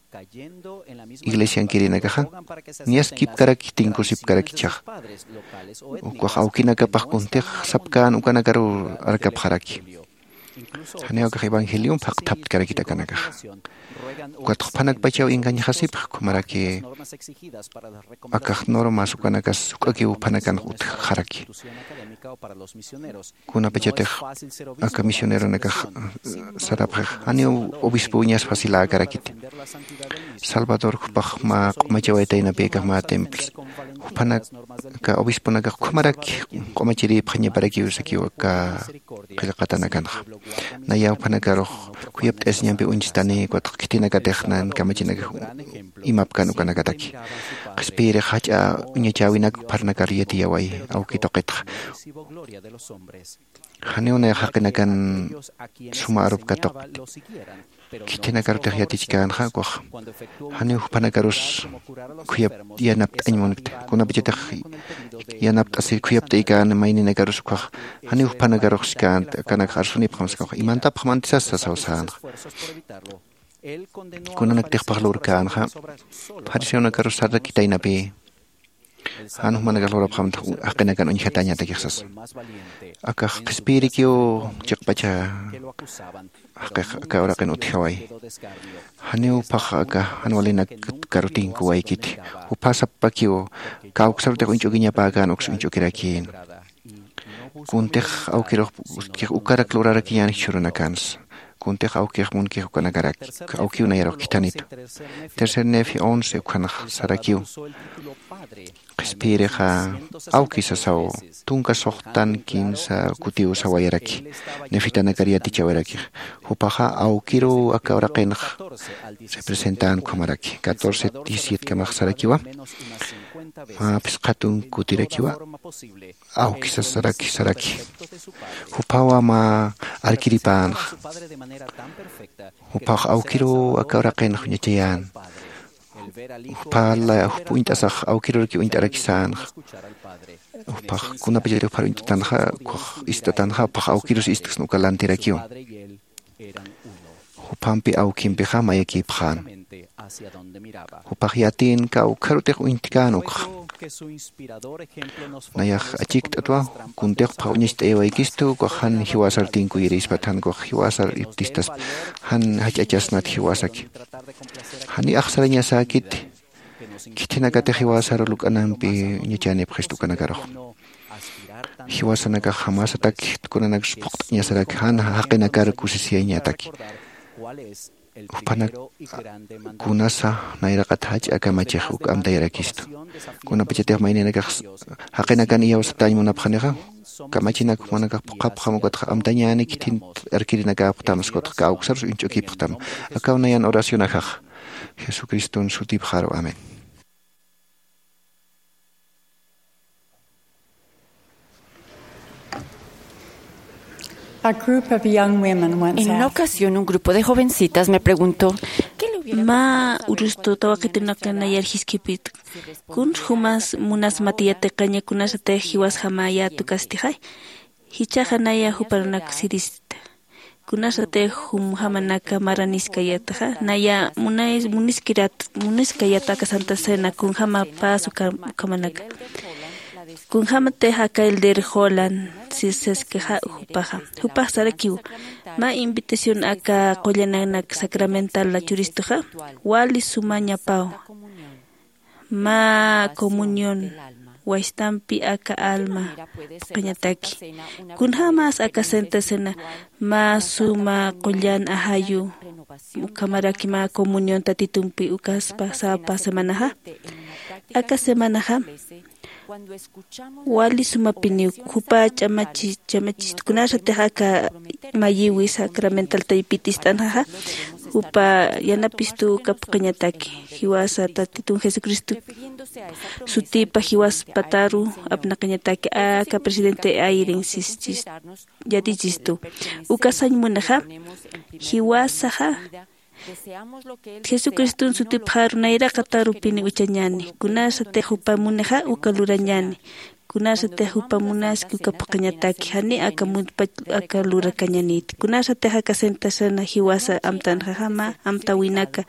iglesiankirinakaxa niyaskipkaraki, tinkusipkaraki ichhaxa. Ukax awkinakapax kuntix sapkän ukanakaruw arkapxaraki. Janiw akax evangeliomp jaqthaptkarakit akanakaxa. Ukat juphanakpachaw engañxasipx ukhamaraki akax normas ukanakas juk'akiw juphanakanx utjxaraki. Kunapachatix aka misioneronakax sarapxix, janiw obispowiñas faciläkarakiti. Salvador jupax mä q'umachawaytaynapïkax mä templos. Jupanaka obisponakax ukhamaraki q'umachirïpxañaparakiw sakiw aka qillqatanakanxa. Naya juphanakarux khuyapt'asiñampi uñstani, ukatxa khithinakatix nan kamachinakax imapkan ukanakataki. Qhispiyirix jach'a uñachäwinak jupharnakar yatiyaway awki tuqitxa. Janiw nayax jaqinakan suma arup katuqit. Khithinakarutix yatichkänxa ukax. Janiw jupanakarus khuyap yanapt'añ munkta. Kunapachatix yanapt'asir khuyapt'aykän mayninakarus ukax. Janiw jupanakarux siskänxa, akanakax arsunipxam siskänxa. Imantapxam antisas sasaw sänxa. Kunanaktix pax lurkänxa. Fariseonakarus sarakitaynapï. Jan jumanakax lurapxamtix jaqinakan uñjatañatakix sasa. Akax qhispiyirikiw chiqpacha jaqix aka uraqin utjaway. Janiw juphax aka jan walinakaru tinkuwaykiti. Jupha sapakiw kawksarutix uñch'ukiñapäkän uks uñch'ukirakïn. Kuntix awkirux ukarak lurarakiñän jichhürunakansa. Kuntix awkix munkix ukanakarak, awkiw nayarux khithanitu. Tercer Nefi once ukhanx sarakiw. Qhispiyirixa awki sasaw, tunka suxtan kinsa kutiw sawayaraki. Nefitanakar yatichawarakix. Jupaxa awkiruw aka uraqinx representän ukhamaraki. Catorce diecisiete kamax sarakiwa. Mä phisqa tunka kutirakiwa. Awki sasaraki saraki. Juphawa mä arkiripänxa. Juphax awkiruw aka uraqinx uñachayän. Juphala jup uñt'asax awkiruraki uñt'arakisänxa. Juphax kunapachatix juphar uñt'atanxa, ukax ist'atanxa, juphax awkirus ist'ksna uka lantirakiw. Juphampi awkimpixa mayakïpxän. Jupax yatïn kawkharutix uñttkän ukxa. Nayax achikt'atwa, kuntix juphax uñacht'ayawaykistu, ukax jan jiwasar tinkuyirispata, jan ukax jiwasar iptistaspa, jan jach'achasnat jiwasaki. Janiy axsarañasäkiti, khithinakatix jiwasar luk'anampi uñachänipxistu ukanakarux. Jiwasanakax jamasatak kunanakas phuqt'añasaraki, jan jaqinakar kusisiyañataki. Jupanak kunasa nayraqat jach'a kamachix uk amtayarakistu. Kunapachatix mayninakax jaqinakan iyawsatañ munapxanixa, kamachinak jumanakax phuqhapxam, ukatxa amtañäni khithin arkirinakäpxtam, ukatxa kawksarus uñch'ukïpxtam. Akaw nayan oracionajax. Jesucriston sutipxaru. Amén. A group of young women once En una asked, ocasión, un grupo de jovencitas me preguntó, ¿qué le hubiera Mä urustutaw waqitunaka nayar jiskipit, kun jumas munas matiyatiqaña kunasatix jiwasjamäyätu kastixay? Jichhaxa naya juparunak sirista. Kunasatix jumjamanaka maraniskayätaxa, naya munay-, muniskirat-, muniskayäta aka Santa Cena, kunjama pasa uka-, ukhamanaka. Kunjamatix aka Elder Holland si-, siskixa jupaxa. Jupax sarakiw, mä invitación aka qullananak sacramental churistuxa, wali sumañapaw. Mä comunión waystampi aka alma phuqhañataki. Kunjämas aka sentasena mä suma qullan ajayu, ukhamaraki mä comunión tatitumpi ukaspa sapa semanaxa. Aka semanaxa wali sumapiniw jupa ch'amachi ch'amachist kunasatix aka mayiwi sacramental taypitist'anxaxa, jupa yanapistu uka phuqhañataki. Jiwasa tatitun jesucristo sutipa jiwas pataru apnaqañataki aka presidente airin sischis yatichistu. Uka sañ munaxa jiwasaxa jesucriston sutipxaru nayraqatarupini uchañani. Kunasatix jupa munixa uka lurañani. Kunasatix jupa munaski uka phuqhañataki jani aka mundpach aka lurakañaniti. Kunasatix aka sentasena jiwasa amtanxaxama amtawinaka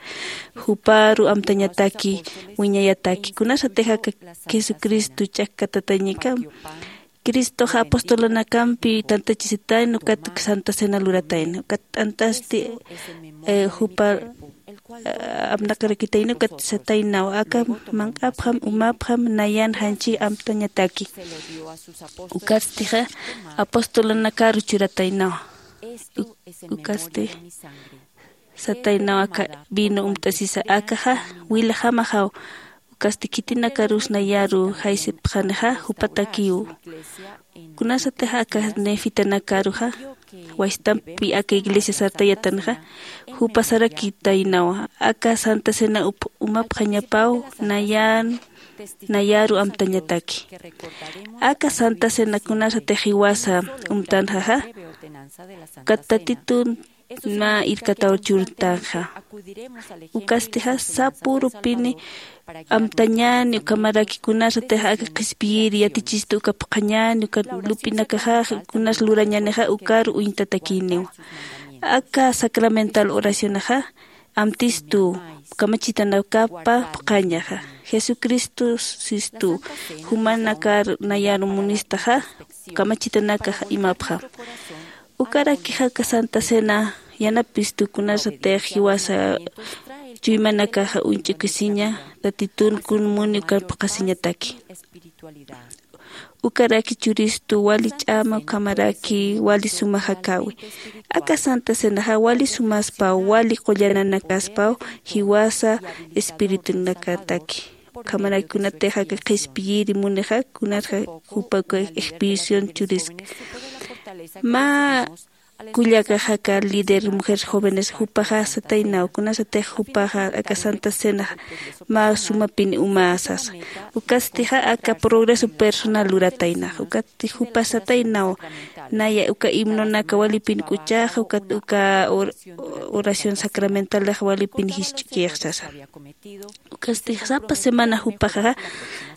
juparu amtañataki wiñayataki. Kunasatix aka jesucristo ch'akkatatayñikam cristoxa apostolanakampi tantachisitayna ukat santa cena luratayna ukat t'antasti jupa apnaqarakitayna ukat sataynaw aka manq'apxam umapxam nayan janchi amtañataki. Ukatstixa apostolanakaru churataynawa. Ukatsti sataynaw aka vino umt'asisa akaxa wilaxamaxaw. Ukasti khitinakarus nayaru jaysipxanixa jupatakiw. Kunasatix aka nefitanakaruxa waystampi aka iglesia sartayatanxa jupa sarakitaynawa aka santa cena umapxañapaw nayan nayaru amtañataki. Aka santa cena kunasatix jiwasa umtanxaxa ukat tatitun mä irkataw churtanxa. Ukastixa sapürupini amtañäni ukhamaraki kunasatix aka qhispiyiri yatichistu uka phuqhañäni uka lup'inakaxax kunas lurañänixa ukaru uñtatakïniwa. Aka sacramental oracionaxa amtistu kamachitanakapa phuqhañaxa. Jesucristo sistu jumanakar nayaru munistaxa kamachitanakax imapxam. Ukarakixaka santa cena yanapistu kunasatix jiwasa chuymanakaxa uñch'ukisiña tatitun kun muni ukan phuqhasiñataki. Ukaraki churistu wali ch'ama ukhamaraki wali suma jakäwi. Aka santa cenaxa wali sumaspaw wali qullananakaspaw jiwasa espiritunakataki. Ukhamaraki kunatix aka qhispiyiri munixa kunatxa jupa uka expedición churiska. Mä kullakaxaka líder mujeres jóvenes jupaxa sataynaw kunasatix jupaxa aka santa cena mä sumapin uma sasa. Ukastixa aka progreso personal lurataynax ukatti jupa sataynaw. Naya uka himnonaka walipin k'uchaxa ukat uka oración sacramentalax walipin jisch'ukix sasa. Ukasti sapa semana jupaxa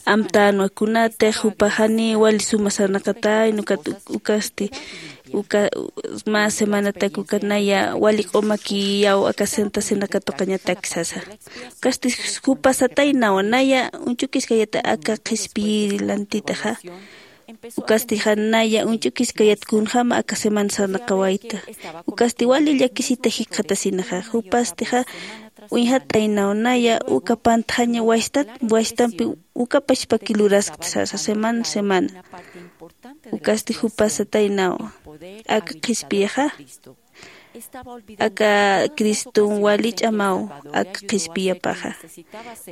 amtänwa kunatix jupaxani wali suma sarnaqatayna ukat ukasti uka mä semanatak ukat naya wali q'umakiyaw aka santa cena katuqañatak sasa. Ukasti jupa sataynawa naya uñchukiskayata aka qhispiyiri lantitaxa. Ukastixa naya uñch'ukiskayat kunjäma aka semana sarnaqawayta. Ukasti wali llakisita jikxatasinaxa jupastixa uñjataynaw naya uka pantxaña waystat waystampi uka pachpaki luraskta sasa semana semana. Ukasti jupa sataynaw aka qhispiyaxa aka criston wali ch'amaw aka qhispiyapaxa.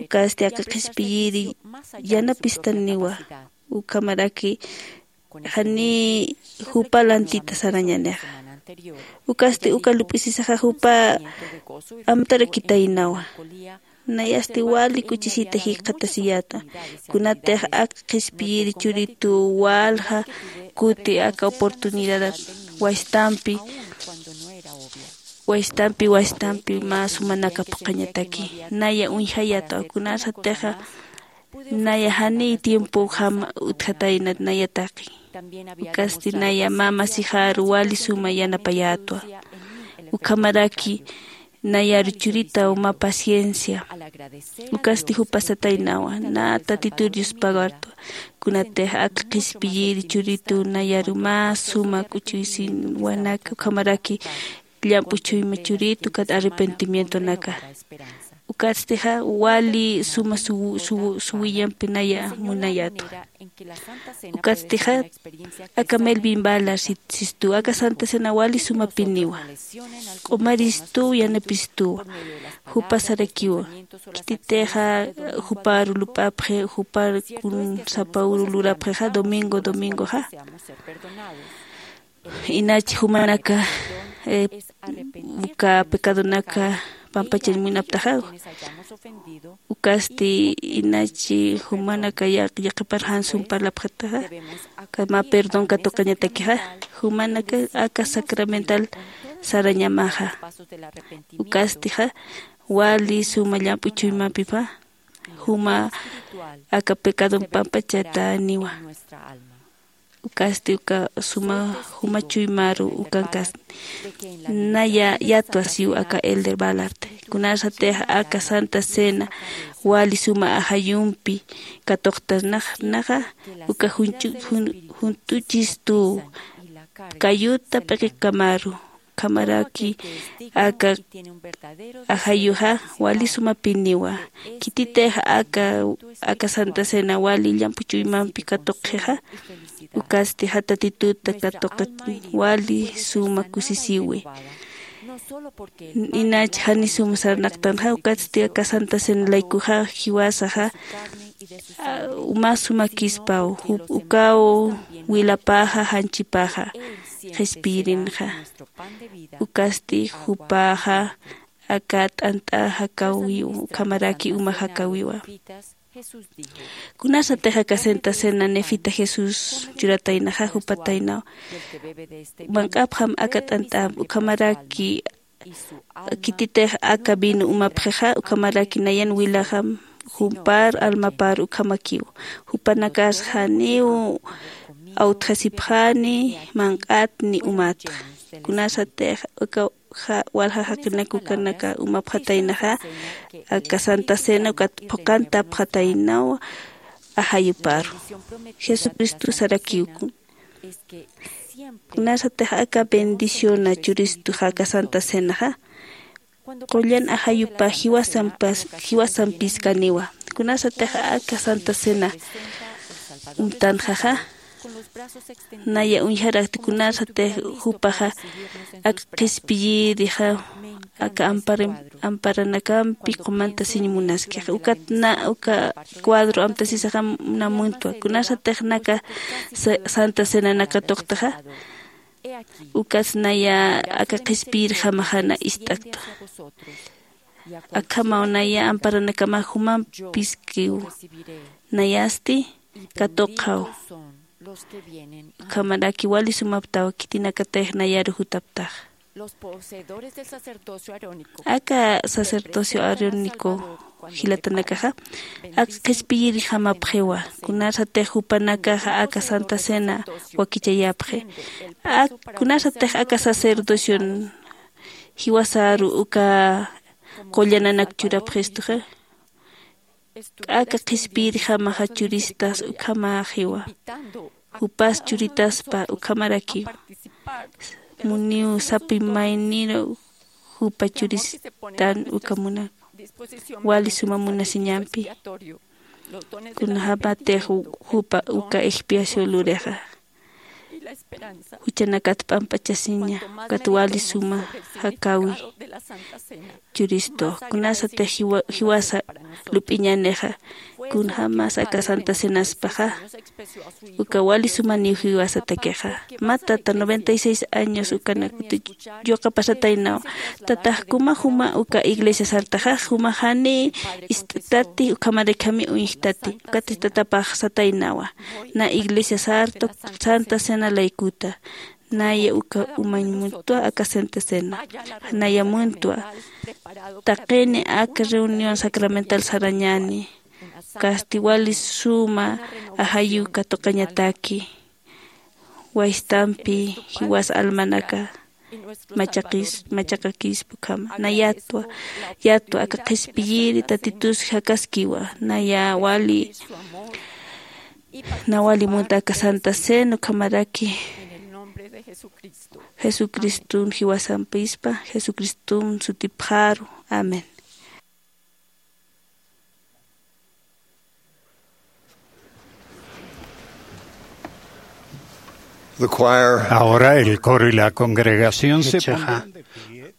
Ukasti aka qhispiyiri yanapistaniwa ukhamaraki jani jupa lantita sarañanixa. Ukasti uka lup'isisaxa jupa amtarakitaynawa. Nayasti wali k'uchisita jikxatasiyäta kunatix ak qhispiyiri churitu walja kuti aka oportunidad waystampi waystampi waystampi mä sumanaka phuqhañataki. Naya uñjayäta kunasatixa naya janiy tiempojam utjatayna naya taqi. Ukasti naya mä masixaru wali suma yanapayätwa. Ukhamaraki nayaru churitaw mä paciencia. Ukasti jupa sataynawa na tatitur yuspagartwa. Kunatix ak qhispiyiri churitu nayaru mä suma k'uchuysinwanaka ukhamaraki llamp'u chuyma churitu kat arrepentimientonaka. Ukatstixa wali suma suw- suw- suwillampi naya munayätwa. Ukatstixa aka Melvin Ballard sit- sistu aka Santa Cena wali sumapiniwa. Q'umaristuw yanapistuwa. Jupa sarakiwa. Khititixa jupar lup'apxi, jupar kun sapa uru lurapxixa domingo domingoxa. Inach jumanaka, eh, uka pecadonaka pampachañ munaptaxa. Ukasti inach jumanaka yaq- yaqipar jan sum parlapxataxa, kama perdón katuqañatakixa. Jumanaka aka sacramental sarañamaxa. Ukastixa wali suma llamp'u chuymampipa juma aka pecadon pampachataniwa. Ukasti uka suma juma chuymaru ukankasti. Naya yatwa siw aka Elder Ballard. Kunasatix aka Santa Cena wali suma ajayumpi katuqtanaxa, uka junch'u- jun- junt'uchistuw kayuta p'iqikamaru. Ukhamaraki aka ajayuxa wali sumapiniwa. Khititix aka aka Santa Cena wali llamp'u chuymampi katuqxixa, ukatstixa Tatituta katuqi wali suma kusisiwi. Inach jani sum sarnaqtanxa, ukatsti aka Santa Cena laykuxa jiwasaxa, ah, uma sumakispaw, jup- ukaw wilapaxa janchipaxa qhispiyirinxa. Ukasti jupaxa aka t'ant'a jakawiw, ukhamaraki uma jakawiwa. Kunasatix aka Santa Cena Nefita Jesús churataynaxa jupataynaw. Manq'apxam aka t'ant'amp, ukhamaraki khititix aka vino umapxixa, ukhamaraki nayan wilaxam jumpar almapar ukhamakiw. Jupanakas janiw awtjasipxani, manq'at ni umatx. Kunasatix uka ja- walja jaqinak ukanaka umapxataynaxa, aka Santa Cena ukat phuqantapxataynaw ajayuparu. Jesucristo sarakiw. Kunasatix aka bendiciona churistuxa aka Santa Cenaxa, qullan ajayupa jiwasampas- jiwasampiskaniwa. Kunasatix aka Santa Cena umtanxaxa, naya uñjarakti kunasatix jupaxa aka qhispiyirixa aka ampara- amparanakampi qumantasiñ munaskixa. Ukat na uka cuadro amtasisixam na muntwa. Kunasatix naka sa- Santa Cena naka tuqtaxa, ukas naya aka qhispiyirjamaxa na ist'aktwa. Akhamaw naya amparanakama jumampiskiw. Nayasti katuqxaw. Ukhamaraki wali sumaptaw khitinakatix nayaru jutaptax. Aka sacerdocio arónico jilatanakaxa, aka qhispiyirjamapxiwa. Kunasatix jupanakaxa aka Santa Cena wakichayapxi. Ak- kunasatix aka sacerdocion jiwasaru uka qullananak churapxistuxa, aka qhispiyirjamaxa churistas ukhamaxiwa. Jupas churitaspa ukhamarakiw. Muniw sapi mayniru jupa churistan uka munak. Wali suma munasiñampi. Kunjämatix jupa uka expiación lurixa, juchanakat p'amp'achasiña, ukat wali suma jakäwi churistux. Kunasatix jiwa- jiwasa lup'iñänixa, kunjämas aka Santa Cenaspaxa, uka wali sumaniw jiwasatakixa. Mä tata noventa y seis años ukanak yuqapasataynaw. Tatax, ¿kuna juma uka iglesia sartaxa? Juma jani ist'tati, ukhamaraki jami uñjtati. Ukatix tatapax sataynawa, na iglesia sarta Santa Cena laykuta. Naya uka umañ muntwa aka Santa Cena. Naya muntwa. Taqini aka reunión sacramental sarañäni. Ukasti wali suma ajayu katuqañataki. Waystampi jiwas almanaka machaqis- machaqakispa ukhama. Na yatwa, yatwa aka qhispiyiri Tatitus jakaskiwa. Naya wali, na wali munta aka Santa Cena ukhamaraki Jesucriston jiwasampispa, Jesucriston sutipxaru. Amén. The choir. Ahora el coro y la congregación se Jichhaxa, pondrán de pie,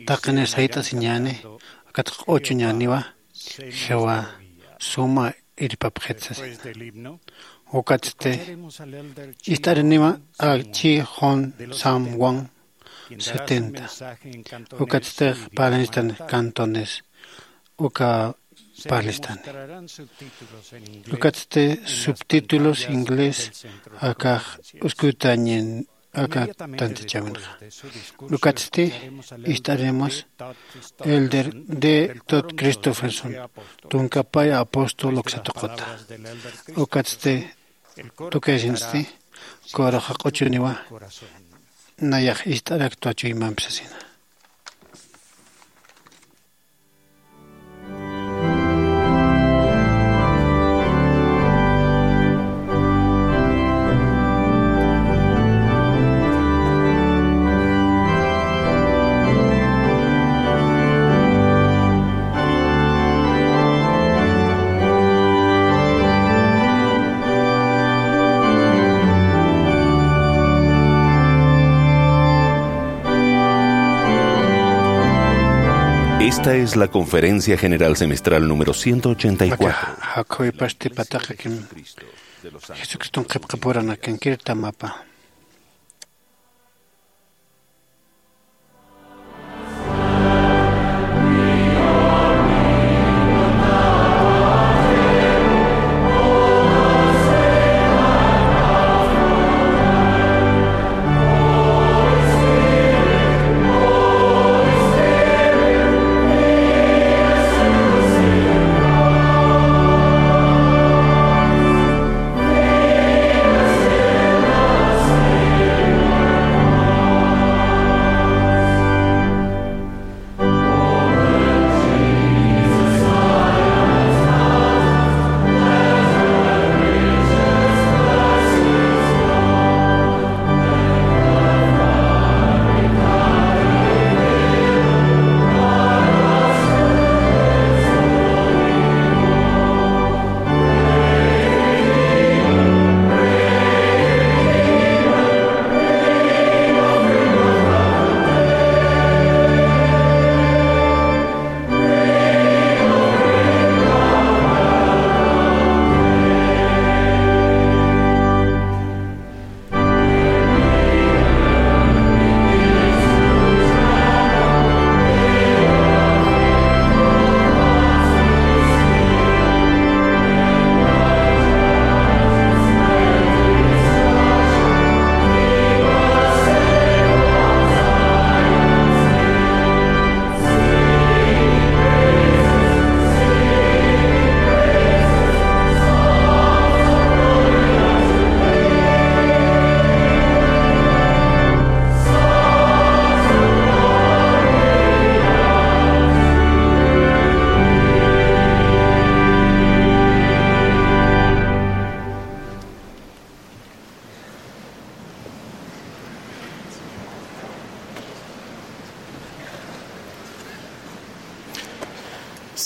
taqini sayt'asiñäni, ukat q'uchuñäniwa, jiwa suma irpapxit sasina. Después del himno, ukatsti, escucharemos al elder Chi ist'ariniwa, Hong a Sam Chi Wong Hong Wang, quien dará su setenta. Mensaje en cantonés. Ukatsti, y parlistan hermano Tan cantones, uka se parlistani. Mostrarán subtítulos en inglés. Ukatsti, en las subtítulos pantallas inglés, del centro de akax conferencias. Uskutañin aka tantichawinxa. Ukatsti, ist'aremos Elder D. Todd Christofferson, tunkapay apóstol uksatuquta. Ukatsti, tukayasinsti, kuraxa q'uchuniwa, nayax ist'araktwa chuymampi sasina. Esta es la Conferencia General Semestral número ciento ochenta y cuatro. Aka, jakhuwipasti pataqakim Jesucriston qhipqapuranakan kirtamapa.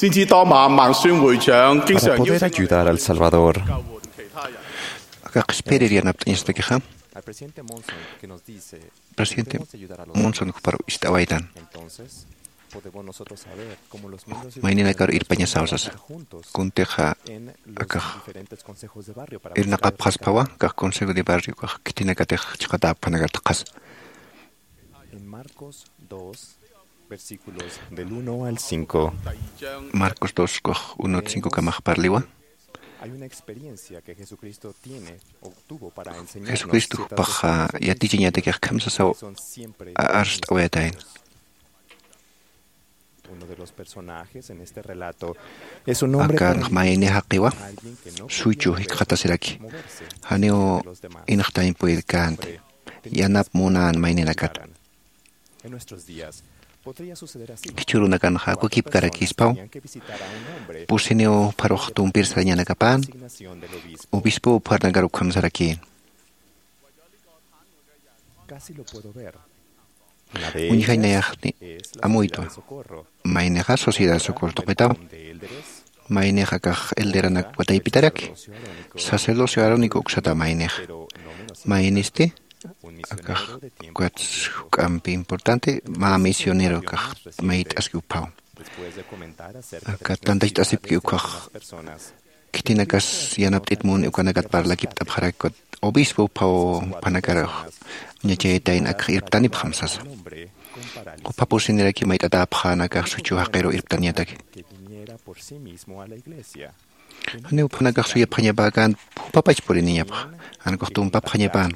Para poder ayudar al Salvador. Aka qhispirir yanapt'añastakixa. Al presidente Monson, que nos dice, presidente Monson jupar ist'awaytan. Entonces, podemos nosotros saber cómo los miembros de la Mayninakar irpañasaw sasa. Juntos kuntixa en los akax diferentes consejos de barrio para irnaqapxaspawa, buscar kax consejo de barrio kax khitinakatix chiqatäpxanakartaqas. En Marcos dos, versículos del uno al cinco. Marcos dos, kax uno cinco kamax parliwa. Hay una experiencia que Jesucristo tiene o tuvo para enseñarnos ciertas cosas. Jesucristo jupax yatichiñatakix kham sasaw arst'awayatayna. Uno de los personajes en este relato es un hombre paralítico, akan mayni jaqiwa, alguien que no podía moverse, suchu jikxatasiraki, janiw inxtañ purirkänti, yanap munän mayninakata. En nuestros días, podría suceder así. Jichhürunakanxa wakipkarakispaw, pusiniw pharux tumpir sarañanakapän, obispo pharnakar ukham sarakïn. Casi lo puedo ver. Uñjañ nayax amuytwa. Maynixa Sociedad Socorro tuqitaw. Maynixa akax elderanak wataypitaraki. Sacerdocio arónico uksata maynixa. Maynisti Akax ukats juk'ampi importante mä misionero kax mayt'aski uphaw. Aka tantacht'asipki ukax khitinakas yanapt'it muni ukanakat parlakipt'apxarak ukat obispo uphaw, jupanakarux ñachayatayn akax irptanipxam sasa. Jupha pusiniraki mayt'atäpxän akax suchu jaqiru irptañataki. Janiw juphanakax suyapxañapäkän, jupapach puriniñapxa, jan ukux tumpapxañapän.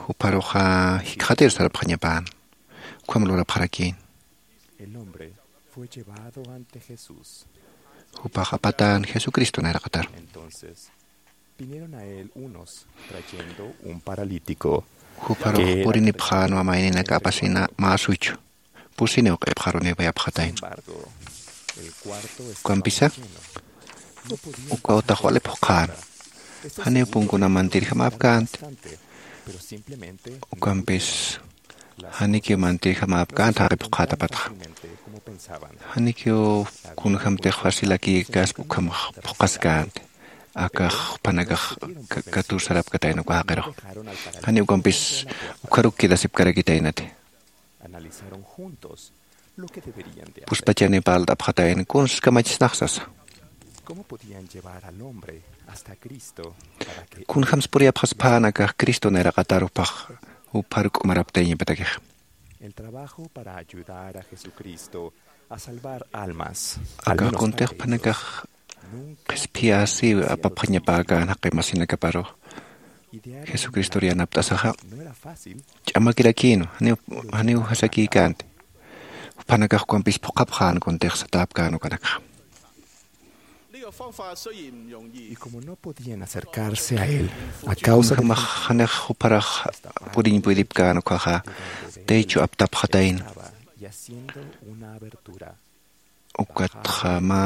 Jupharuxa jikxatir sarapxañapän. Ukham lurapxarakïn. Jupax apatän Jesucristo nayraqataru. Jupharux purinipxänwa mayninaka apasina mä suchu. Pusiniw q'ipxarunipayapxatayna. Ukampisa ukaw taxwalipxqän. Janiw punkunamantirjamäpkänti. Ukampis janikiw mantirjamäpkänti jaqipxqätapatxa. Janikiw kunjämtix facilakïkaspa ukhamax phuqhaskänti. Akax juphanakax katursarapkatayna uka jaqirux. Janiw ukampis ukharuk quedasipkarakitaynati. Puspachani parlt'apxatayna kuns kamachisnax sasa. Kunjämsa puriyapxaspäna akax Cristo nayraqatar juphax jupharuk umaraptayñapatakixa. Akax kuntix juphanakax qhispiyäsiw apapxañapäkän jaqi masinakaparux jesucristor yanapt'asaxa. Ch'amakirakïnwa. Janiw jasakïkänti. Juphanakax ukampis phuqhapxän kuntix satäpkän ukanakxa. Kunjämax janix jupharax puriñ puydipkän ukkhaxa techo aptapxatayna. Ukatxa mä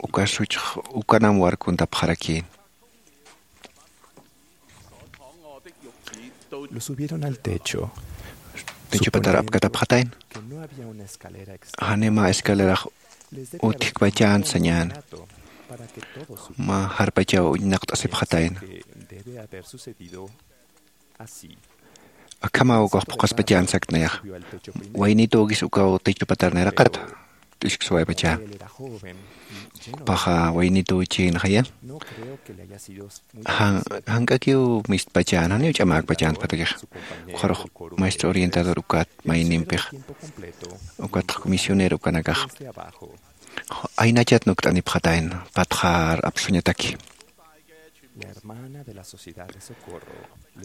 uka suchx ukanam warkuntapxarakïn. Techopatar apkatapxatayna. Janiw mä escalerax utjkpachänt sañäni. Mä jarpachaw uñnaqt'asipxatayna. Akhamaw ukax phuqhaspachänt sakt'nayaxa. Waynitükis ukaw techopatar nayraqata. T'usksuwaypachä. Jupaxa waynitüchïnxaya. Jank'akiw mistpachäna janiw ch'amäkpachänpatakixa. Ukxarux maestro orientador ukat maynimpixa. Ukatx misionero ukanakaxa aynachat nukt'anipxatayna patxar apsuñataki.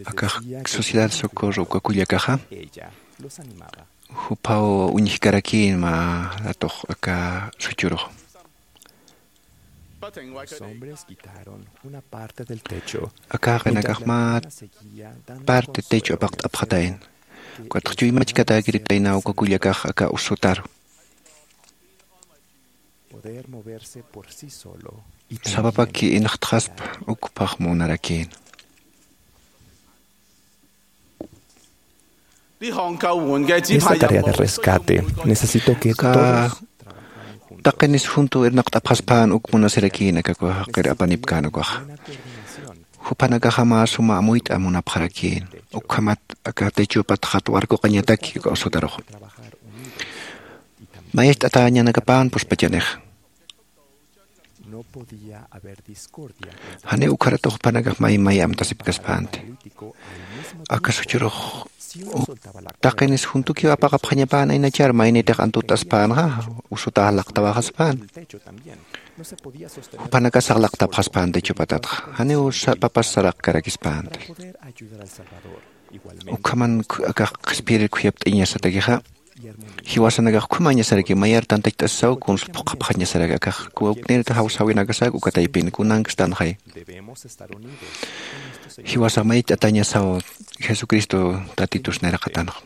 Akax sociedad socorro uka kullakaxa juphaw uñjkarakïn mä ratux aka suchurux. Aka jaqinakax mä parte techo apaqt'apxatayna. Ukatx chuymachkatäkiritayna uka kullakax aka usutaru. Sapapaki inxtxaspa ukphax munarakïn. Esta tarea de rescate necesito que todos. Taqinis juntu irnaqt'apxaspän uk munasirakïn aka uka jaqir apanipkän ukaxa. Juphanakaxa mä suma amuyt'a munapxarakïn. Ukhamat aka techopatxat warkuqañataki uka usutarux. Mayacht'atäñanakapän puspachanixa. Janiw ukharatux juphanakax may may amtasipkaspänti. Aka suchurux taqinis juntukiw apaqapxañapän aynachar maynitix antut'aspänxa usutax laqtawaxaspän. Juphanakasax laqtapxaspän techopatatxa janiw sapapas saraqkarakispänti. Ukhaman akax qhispiyirir khuyapt'iñasatakixa. Jiwasanakax ukhamañasaraki mayar tantacht'asisaw kuns phuqhapxañasaraki akax kuwawknirta jawsäwinakasak uka taypin kunankstanxay. Jiwasax mayt'atañasaw jesucristo tatitus nayraqatanxa.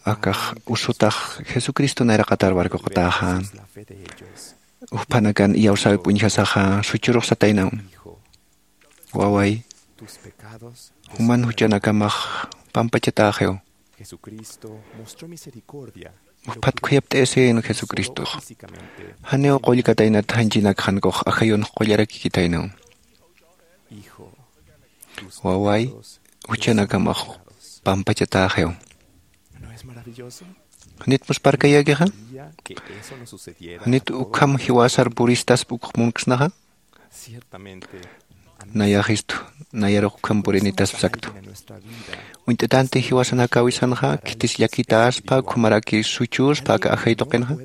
Akax usutax jesucristo nayraqatar warkuqatäxän. Ujphanakan iyawsäwip uñjasaxa suchurux sataynaw. Waway, juman juchanakamax pampachatäxiw. Ujphat khuyapt'ayasïn jesucristox. Janiw qullkataynat janchinakxankux ajayunx qullarakikitaynaw. Waway, juchanakamax pampachatäxiw. ¿Janit musparkayakixa? ¿Janit ukham jiwasar puristaspa ukx munksnaxa? Nayaxistu, nayarux ukham purinitaspa saktu. Uñt'atanti jiwasanakawisanxa, khitis llakitaspa, ukhamaraki suchuspa aka ajay tuqinxa.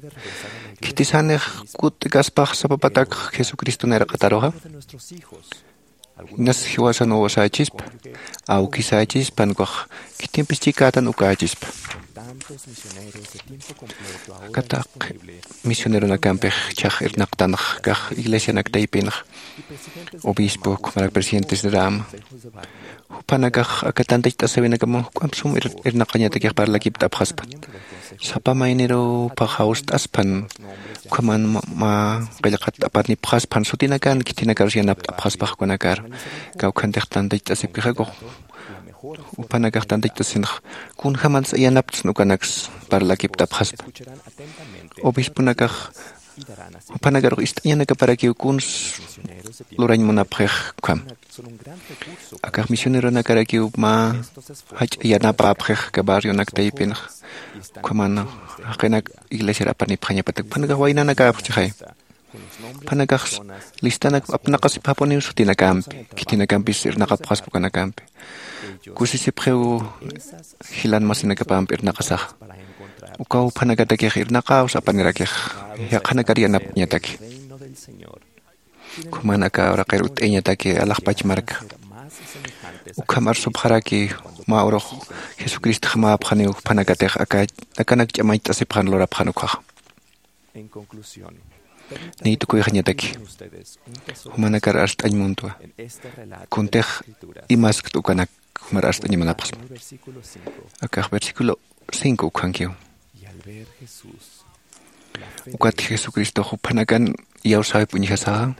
Khitisanix kutt'kaspax sapapatak Jesucristo nayraqataruxa. Inas jiwasan uwasächispa, awkisächispa, ukax khitimpis chikätan ukächispa. Aka taqi misioneronakampix chhax irnaqtanx, kax iglesianak taypinx, obispo, ukhamarak presidentes de rama, juphanakax aka tantacht'asawinakaman juk'amp sum ir-, irnaqañatakix parlakipt'apxaspan. Sapa maynirupax jawst'aspan, ukhaman ma, ma qillqat apanipxaspan, sutinakan khitinakarus yanapt'apxaspax ukanakar. Kawkhantix tantacht'asipkixakux, juphanakax tantacht'asinx, kunjamansa yanaptsna ukanaks parlakipt'apxaspa. Obisponakax juphanakarux ist'añanakaparakiw kuns lurañ munapxix ukham. Akax misioneronakarakiw mä jach'a yanapäpxix aka barrionak taypinx, ukhaman jaqinak iglesiar apanipxañapatak. Juphanakax waynanakäpxchixay. Juphanakax listanak apnaqasipxapuniw sutinakampi, khitinakampis irnaqapxaspa ukanakampi. Kusisipxiw jilan masinakapampi irnaqasaxa. Ukaw juphanakatakix irnaqäwsa apanirakix, yaqhanakar yanapt'añataki. Ukhaman aka uraqir utt'ayañataki alaxpach marka. Ukham arsupxaraki mä urux Jesucristox mäpxaniw juphanakatix aka, akanak ch'amañcht'asipxan lurapxan ukkhaxa. Niy tukuyxañataki, jumanakar arst'añ muntwa. Kuntix imaskt ukanak jumar arst'añ munapxsma. Akax versículo cinco ukkhankiw. Ukat Jesucristox juphanakan iyawsäwip uñjasaxa.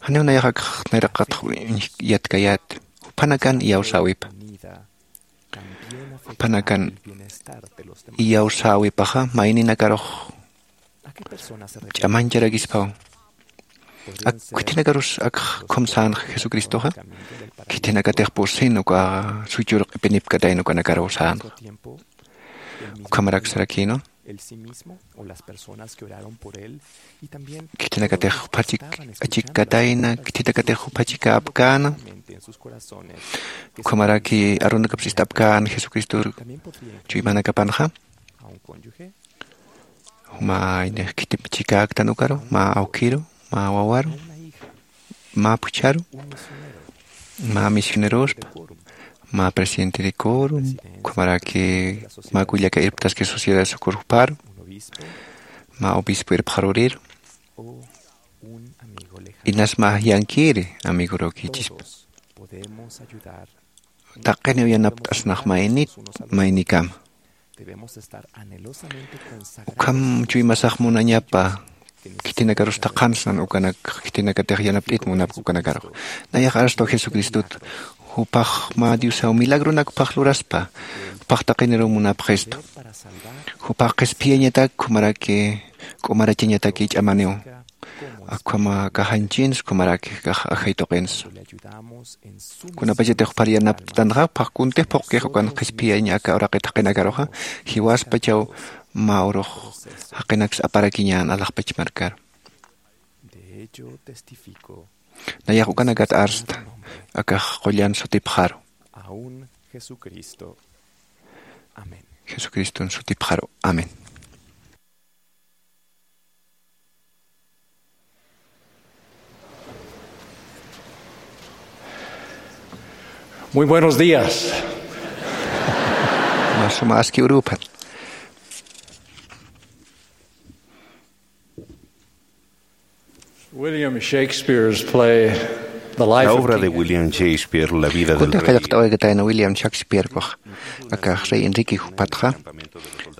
Janiw nayax akax nayraqatx uñj-, yatkayät, juphanakan iyawsäwipa. Juphanakan iyawsäwipaxa mayninakarux ch'amañcharakispaw. Ak khitinakarus akx ukham sänx Jesucristoxa, khitinakatix pusin uka suchur q'ipinipkatayna ukanakaruw sänx. Ukhamarak sarakïnwa. Khitinakatix juphachi achikkatayna, khitinakatix juphachi käpkäna. Ukhamaraki arunakapis ist'apkäna Jesucristor chuymanakapanxa. Mä inix khitip chikäktan ukaru, mä awkiru, mä wawaru, mä phuchharu, mä misionerospa, mä presidente de coro, ukhamaraki mä kullaka irptaski Sociedad de Socorro juparu, mä obispo irpxaruriru, inas mä yankiri amigurukichispa. Taqiniw yanapt'asnax maynit, maynikama. Ukham chuymasax munañapa, khitinakarus thaqhansnan ukanak, khitinakatix yanapt'it munapk ukanakarux. Nayax arstwa Jesucristot, jupax mä Diosaw milagronakpax luraspa, jupax taqiniruw munapxistu. Jupax qhispiyañatak, ukhamaraki k'umarachañataki ch'amaniw. Akhama kaxanchins, ukhamaraki kax ajay tuqins. Kunapachatix juphar yanapt'tanxa, jupax kuntix phuqkix ukan qhispiyañ aka uraqit jaqinakaruxa, jiwaspachaw mä urux jaqinaks aparakiñän alaxpach markaru. Nayax ukanakat arsta, akax qullan sutipxaru. Jesucriston sutipxaru. Amén. Muy buenos días. Mä suma aski uruphan. William Shakespeare's play, The Life La of obra de King William Shakespeare, La vida del Kuntix rey. Qillqt'awaykatäyna William Shakespeare, akax rey Enrique jupatxa,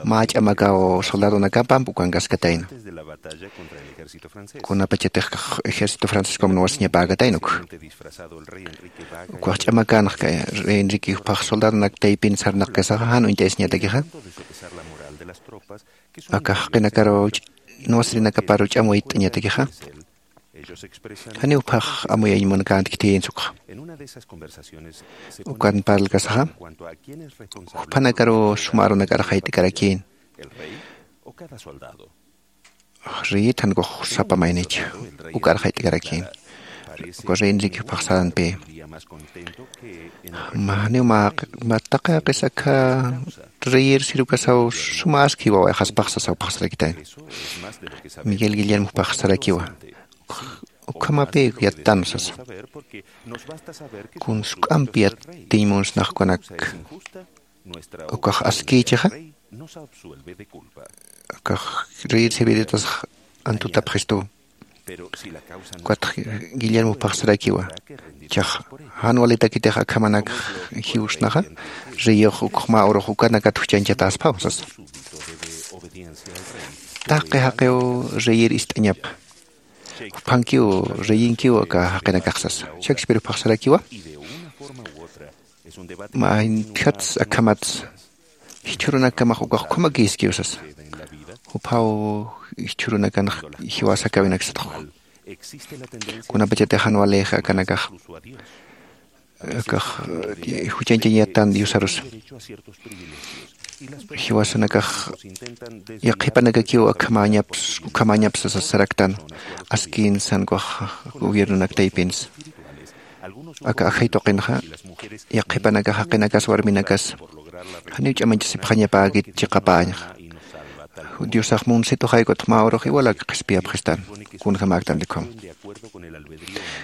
mä ch'amakaw soldadonakapamp ukankaskatayna. Kunapachatix ejército francescom nuwasiñapäkatayna uk. Ukax ch'amakanx rey Enrique jupax soldadonak taypin sarnaqkasaxa jan uñt'ayasiñatakixa. Akax jaqinakaru nuwasirinakaparu ch'amuyt'añatakixa. Janiw phax amuyañ munakänti khitïnsa ukxa. Ukan parlkasaxa juphanakaru suma arunakar jayt'karakïn. Reyit jankux sapa maynich ukar jayt'karakïn. Uka reyniriki juphax saranpï. Janiw mä taqi jaqis akha reyir sirukasaw suma aski wawayxaspax sasaw phaxsarakitañ. Miguel guillermo juphax sarakiwa. Ukhamapï yattan sasa. Kun suk'ampi yattiñ munsnax ukanak ukax askïchixa. Ukax reyir sirviritas antutapxistuw. Ukatx guillermo phaxsarakiwa. Chax jan walitakitix akhamanak jiwsnaxa, reyux ukxma urux ukanakat juchañchatäspaw sasa. Taqi jaqiw reyir ist'añapa. Juphankiw reyinkiw aka jaqinakax sasa. Shakspir phaxsarakiwa. Mä jintjats akhamats jichhürunakamax ukax ukhamakïskiw sasa. Juphaw jichhürunakanx jiwasakäwinak satxu. Kunapachatix jan walïx akanakax akax juchañchañ yattan diosarusa. Jiwasanakax yaqhipanakakiw akhamañaps ukhamañapsa sasaraktan. Askin sankuxa gobiernonak taypinsa aka ajay tuqinxa yaqhipanakax jaqinakas warminakas janiw ch'amañchasipxañapäkit chiqapäñxa. Diosax munsituxay kutx mä urux iwalak qhispiyapxistan. Kunjamäktanti ukham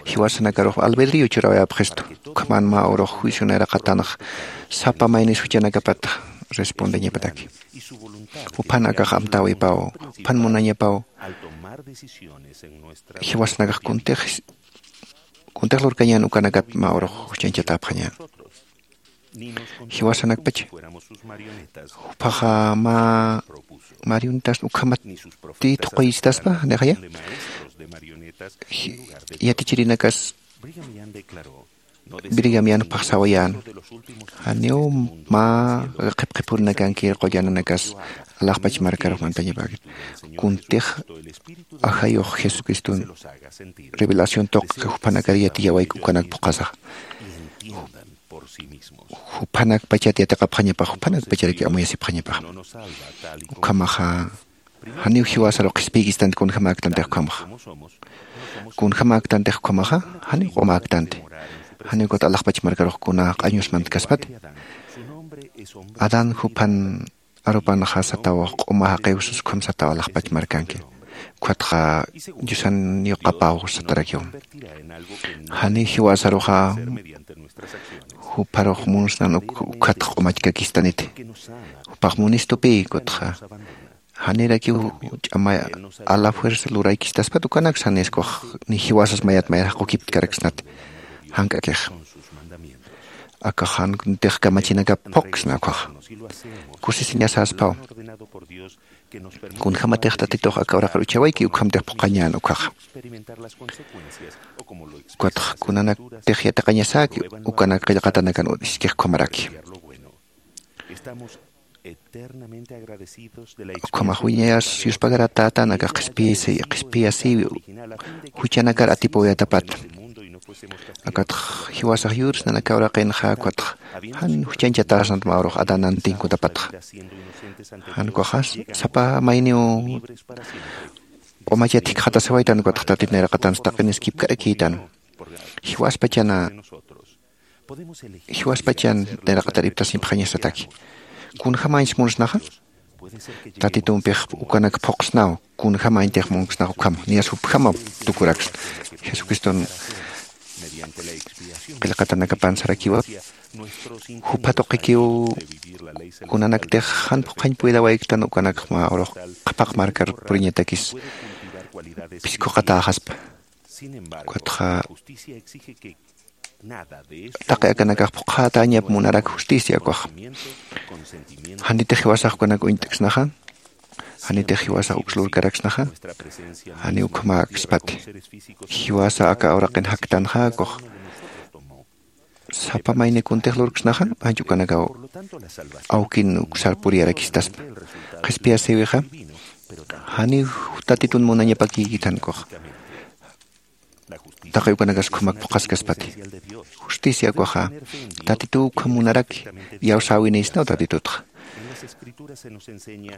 jiwasanakarux albedrio churawayapxistu. Ukhaman mä urux juicio nayraqatanx sapa maynis juchanakapat respondeñapataki. Juphan akax amtäwipaw juphan munañapaw jiwasanakax kuntix kuntix lurkañän ukanakat mä urux juchañchatäpxañän. Jiwasanakpacha juphaxa mä marionetas ukhamat tï thuquyistaspa nixaya. Yatichirinakas brigamian juphax sawayän. Janiw mä qhipqhipurinakanki qullananakas alaxpach markarux mantañapäkit. Kuntix ajayux jesucriston revelación tuqi juphanakar yatiyawayki ukanak phuqhasaxa. Juphanakpachat yatiqapxañapax juphanakpacharaki amuyasipxañapax. Ukhamaxa janiw jiwasaru qhispiykistanti kunjamäktanti ukhamaxa. Kunjamäktanti ukhamaxa janiw q'umäktanti. Janiw kut alaxpach markarux kuna q'añus mantkaspati. Adán juphan arupanxa sataw q'uma jaqiw sas ukham sataw alaxpach markanki. Ukhatxa diosan yuqapaw satarakiw. Janiw jiwasaruxa jupharux munsnan ukhatx q'umachkakistaniti. Jupax munistupï kutxa janirakiw ch'ama a la fuerza luraykistaspat ukanaksa janis kux ni jiwasas mayat mayar jaqukiptkaraksnati. Jank'akix akax jan kuntix kamachinakap phuqsna ukhaxa. Kusisiñasaspaw. Kunjämatix tatitux aka uraqir uchawayki ukhamtix phuqhañän ukhaxa. Ukatx kunanaktix yatiqañasäki ukanak qillqatanakan iskix ukhamaraki. Ukhamax wiñayas yuspagaratätan aka qhispiyasi qhispiyasiwi juchanakar atipawayatapata. Akatx jiwasax yursa nanaka uraqinxa ukatx jan juchañchatäsnat mä urux adanantinkutapatxa. Jan ukhaxa sapa mayniw q'umachat jikxatasawaytan ukatx tatit nayraqatansa taqiniskipkarakïtan. Jiwaspachana jiwaspachan nayraqatar iptasiñpxañasataki. Kunjämañs munsnaxa tatitumpix ukanak phuqsnaw. Kunjämañtix munksnax ukham niyas jupjama tukuraksna. Jesucriston qillqatanakapan sarakiwa. Jupha tuqikiw kunanaktix jan phuqhañ puydawayktan ukanakx mä urux qhapaq markar puriñatakis phiskhuqatäxaspa. Ukatxa taqi akanakax phuqhätäñap munarak justicia ukaxa. Janitix jiwasax ukanak uñt'ksnaxa. Janitix jiwasax uks lurkaraksnaxa. Janiw ukhamäkspati. Jiwasa aka uraqin jaktanxa ukax sapa mayni kuntix lurksnaxa. Ancha ukanakaw awkin uksar puriyarakistaspa. Qhispiyasïwixa janiw tatitun munañapakïkitan ukaxa. taqi ukanakas ukhamak phuqhaskaspati. Justicia ukaxa tatituw ukhamunaraki, iyawsäwinïsnaw tatitutxa.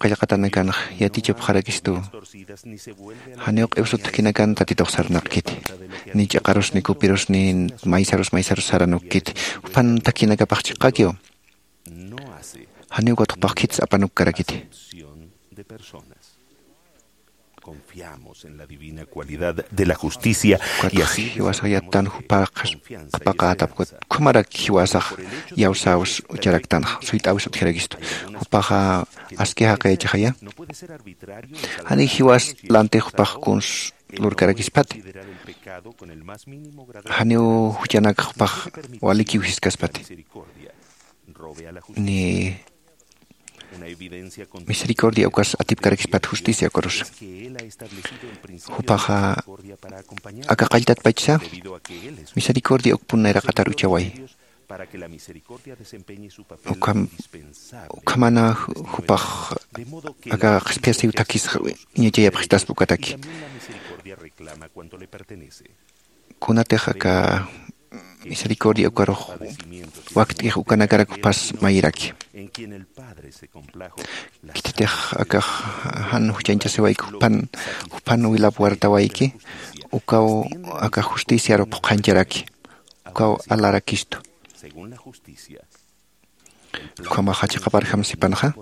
Qillqatanakanx yatichapxarakistu. Janiw q'iwsut thakhinakan tatitux sarnaqkiti, ni ch'iqarus ni kupirus ni maysarus maysarus saranukkiti. Juphan thakhinakapax chiqakiw. Janiw ukatxpax khits apanukkarakiti. Confiamos en la divina cualidad de la justicia y así jiwasax yattan jupax qhapaqätap ukat ukhamarak jiwasax iyawsäwis ucharaktanxa suyt'äwis utjirakistu. Jupaxa aski jaqi yachaxaya. Jani jiwas lantix jupax kuns lurkarakispati. Janiw juchanakx jupax walikiw jiskaspati. Ni misericordia ukas atipkarakispat justicia ukarus. Jupaxa aka qalltatpachsa misericordia ukpun nayraqatar uchaway. Ukham ukhamana jupax aka qhispiyasiw thakis iñachayapxistaspa ukataki. Kunatix aka misericordia ukarux wakt'ix ukanakarak jupas mayiraki. Khititix akax jan juchañchasiwayki juphan juphan wilap wartawayki. Ukaw akax justiciaru phuqhañcharaki. Ukaw alarakistu. Ukhamaxa chiqaparjam sipanxa.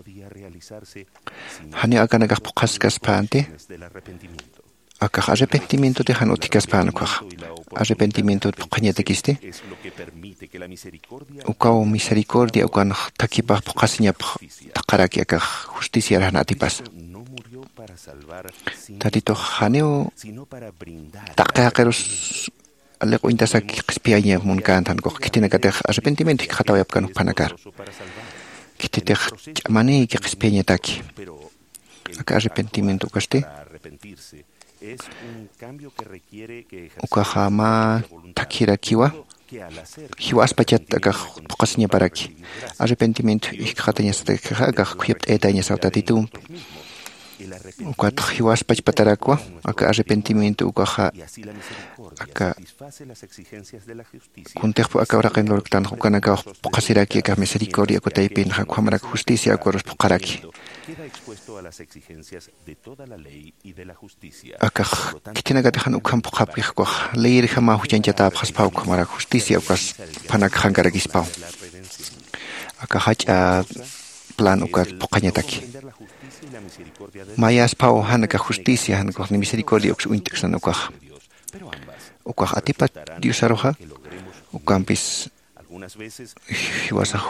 Janiw akanakax phuqhaskaspänti. Akax arrepentimientoti jan utjkaspän ukaxa. Arrepentimientot phuqhañatakisti. Ukaw misericordia ukanx thakhipax phuqhasiñapx thaqharaki akax justiciar jan atipasa. Tatitux janiw taqi jaqirus aliq uñtasaki qhispiyaña munkänti jan ukax khitinakatix arrepentimiento jikxatawayapkan juphanakar. Khititix ch'amanïki qhispiyañataki. Aka arrepentimiento ukasti ukaxa mä thakhirakiwa. Jiwaspachat akax phuqhasiñaparaki. Arrepentimiento jikxatañasatakixa akax khuyapt'ayatañasaw tatitumpi. Ukatx jiwaspachpatarakwa aka arrepentimiento ukaxa aka kuntixpu aka uraqin lurktanx ukanakax phuqhasiraki aka misericordia uka taypinxa ukhamarak justicia ukarus phuqharaki. Akax khitinakatix jan ukham phuqhapkix ukax leyirjama juchañchatäpxaspaw ukhamarak justicia ukas phanakxankarakispaw. Aka jach'a plan ukat phuqhañataki. Mayaspaw jan aka justicia jan ukax ni misericordia uks uñt'ksnan ukaxa. Ukax atipat diosaruxa ukampis jiwasax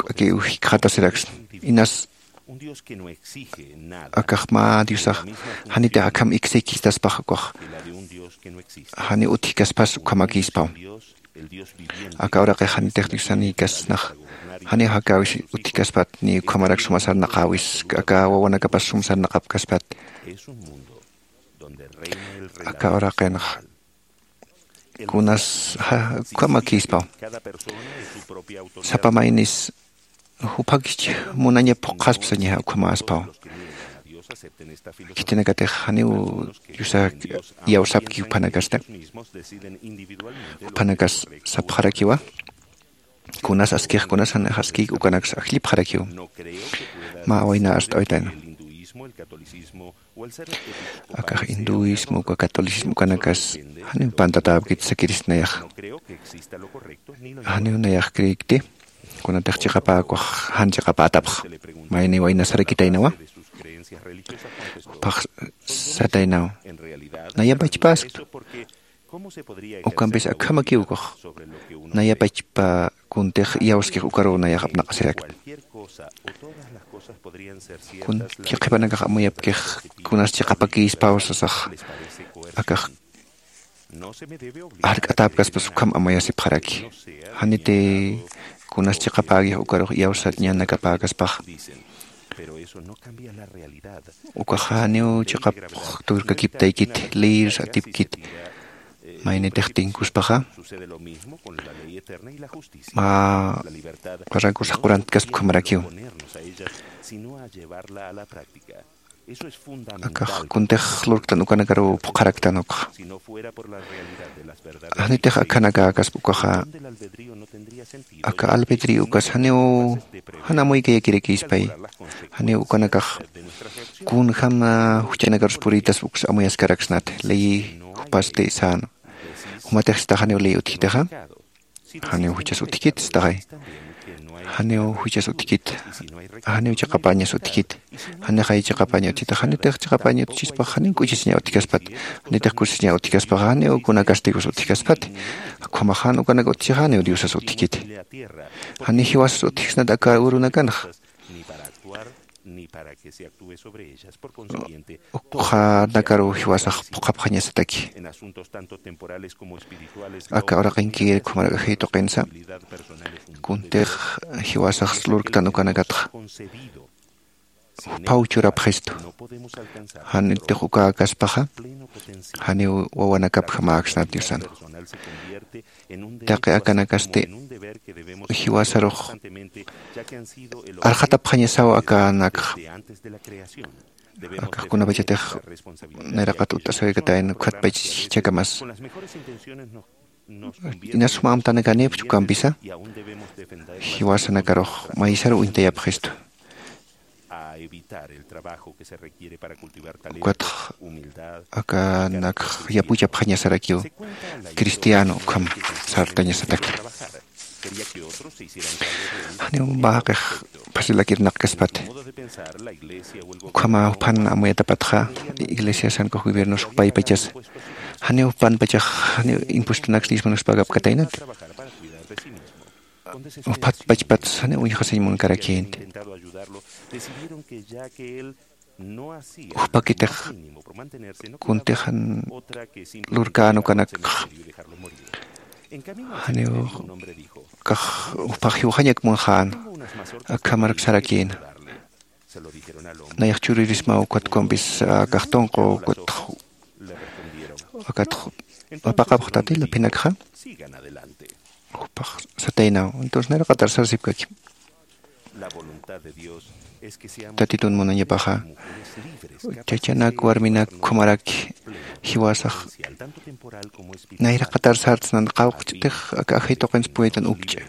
k'akiw jikxatasiraksna. Inas akax mä diosax janitix akham iksïkistaspax ukax janiw utjkaspas ukhamakïspaw. Aka uraqix janitix diosanïkasnax janiw jakäwis utjkaspat ni ukhamarak suma sarnaqäwis aka wawanakapas sum sarnaqapkaspat. Aka uraqinxa kunas ukhamakïspaw. Sapa maynis juphakisch munaña phuqhaspa sañaxa ukhamäspaw. Khitinakatix janiw diosa iyawsapki juphanakasta. Juphanakas sapxarakiwa kunas askix kunas janix askïk ukanaksa ajllipxarakiw. Mä wayna arst'awaytayna. Akax hinduismo uka catolicismo ukanakas janiw pantatäpkit sakirisnayax. Janiw nayax creekti kunatix chiqapäkwax jan chiqapätapxa. Mayni waynasarakitaynawa. Jupax sataynaw nayapachpasktu. Ukampis akhamakiw ukax nayapachpa kuntix iyawskix ukaruw nayax apnaqasirakta. Kuntix qhipanakax amuyapkix kunas chiqapakïspaw sasax akax jark'atäpkaspas ukham amuyasipxaraki. Janiti kunas chiqapäkix ukarux iyawsañanakapäkaspax. Ukax janiw chiqap turkakiptaykiti leyir atipkiti. Maynitix tinkuspaxa mä barrankus jaqurantkaspkhamarakiw. Akax kuntix lurktan ukanakaruw phuqharaktan ukxa. Janitix akhanakakaspa ukaxa, aka albedrío ukas janiw jan amuykayakirakïspay. Janiw ukanakax kunjäm juchanakarus purïtaspa uks amuyaskaraksnati ley jupasti sän. Jumatix sitax janiw ley utjkitixa, janiw juchas utjkit sitaxay. Janiw juchas utjkit, janiw chiqapañas utjkit. Janixay chiqapaña utjkit, janitix chiqapaña utjchispax janiw k'uchisiña utjkaspat. Janitix kusisiña utjkaspax janiw kunakasti dios utjkaspati. Ukhamax jan ukanak utjchixa janiw diosas utjkiti. Jani jiwasas utjksnat aka urunakanxa. Ukxanakaruw jiwasax phuqhapxañasataki. Aka uraqinkir ukhamarak ajay tuqinsa, kuntix jiwasax lurktan ukanakatxa juphaw churapxistu. Janitix ukäkaspaxa janiw wawanakapjamäksnat diosan. Taqi akanakasti jiwasarux arxatapxañasaw akanakxa. Akax kunapachatix nayraqat utt'asawikatayna ukhatpach jichhakamas. Inas suma amtanakanïpchu ukampisa jiwasanakarux maysaruw uñtayapxistu. Ukatx akanakx yapuchapxañasarakiw cristiano ukham sartañasataki. Janiw mä jaqix phasilakir naqkaspati. Ukhama juphan amuyatapatxa iglesiasankux gobiernos jupaypachasa janiw jupanpachax janiw impuestonaks diezmonoks pagapkataynati. Juphat pachpats janiw uñjasiñ munkarakïnti. Jupakitix kuntix jan lurkän ukanakxa janiw kax jupax jiwxañak munxän. Akhamarak sarakïna. Nayax churirismaw ukat ukampis akax tunqu ukat akatx apaqapxtatila phinakxa. Jupax sataynaw entonces nayraqatar sarsipkaki. Tatitun munañapaxa chachanak warminak ukhamaraki jiwasax nayraqatar sartsnan qawqch'tix aka ajay tuqinsa puytan ukch'a.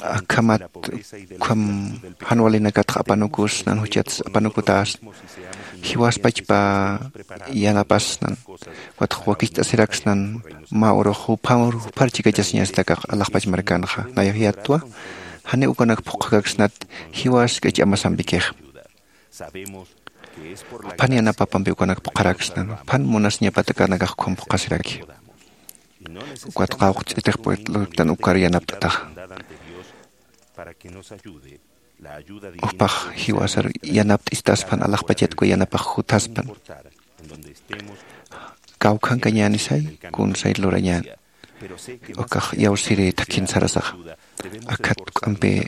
Akhamat ukham jan walinakatx apanukus nan juchats apanukutäsna. Jiwaspachpa yanapasnan. Ukatx wakicht'asiraksnan mä urux juphar juphar chikachasiñastakax alaxpach markanxa nayax yattwa. Janiw ukanak phuqhakaksnat jiwas k'ach'amasampikix. Juphan yanapapampi ukanak phuqharaksnan juphan munasiñapat akanakax ukham phuqhasiraki. Ukat qawqch'itix puerta lurktan ukar yanapt'ataxa. Jupax jiwasar yanapt'istaspan alaxpachat uka yanapax juthaspan. Kawkhankañänisay kunsay lurañän. Ukax iyawsiri thakhin sarasaxa. Akhat juk'ampi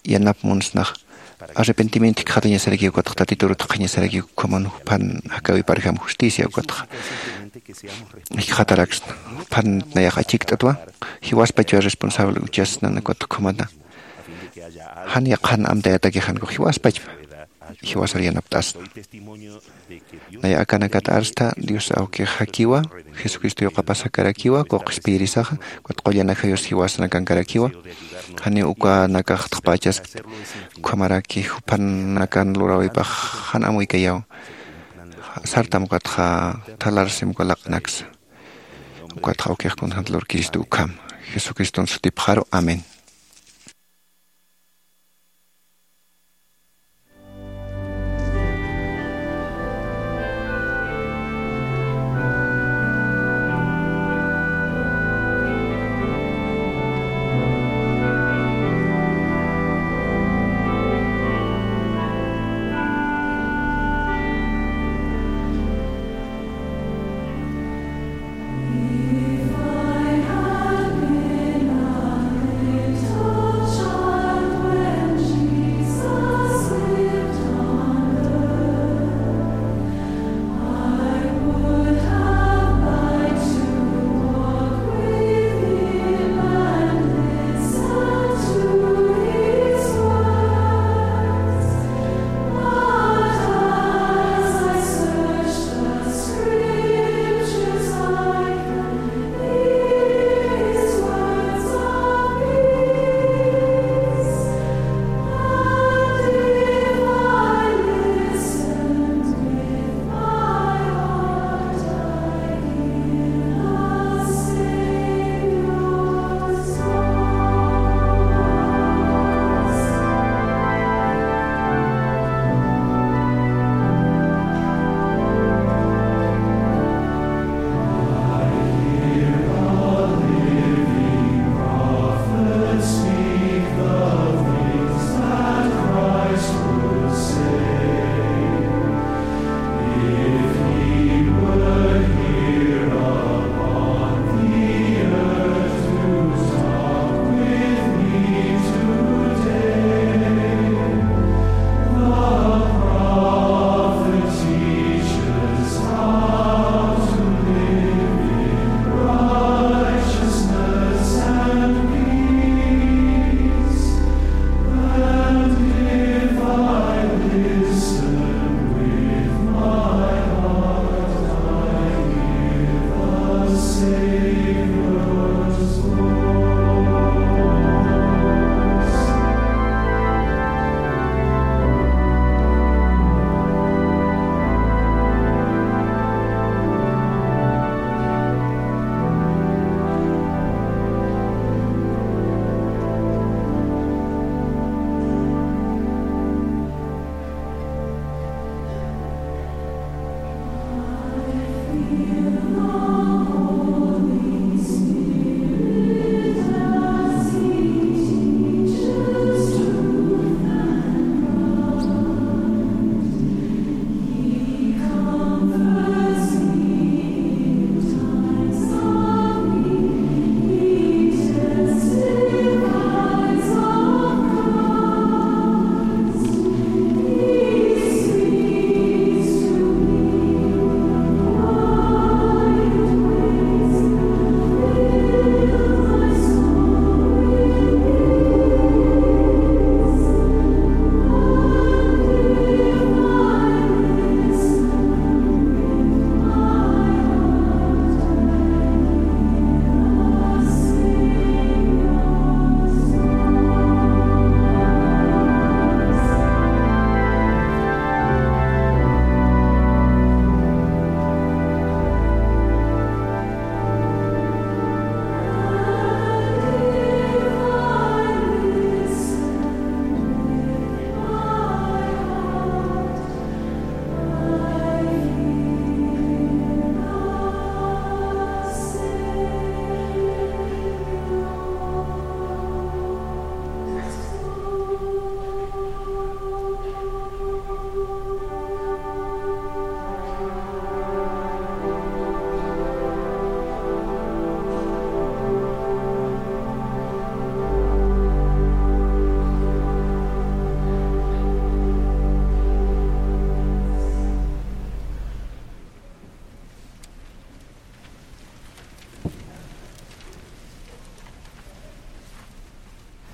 yanap munsnax arrepentimiento jikxatañasarakiw ukatx tatituru thaqhañasarakiw ukhaman juphan jakäwiparjam justicia ukatx jikxataraksna. Juphan nayax achikt'atwa jiwaspachwa responsable uchasnan ukatx ukhamana. Jan yaqhan amtayatakixan ukax jiwaspachpa jiwasar yanapt'asna. Naya akanakat arsta dios awkix jakiwa jesucristo yuqapasakarakiwa quqspiyirisaxa. Ukat qullana jayus jiwasnakankarakiwa. Janiw ukanakax thaqpachaskta. Ukhamaraki juphanakan lurawipax jan amuykayaw. Sartam ukatxa thalarsim uka laq'anaksa. Ukatxa awkix kunjämt lurkiristu ukham jesucriston sutipxaru amén.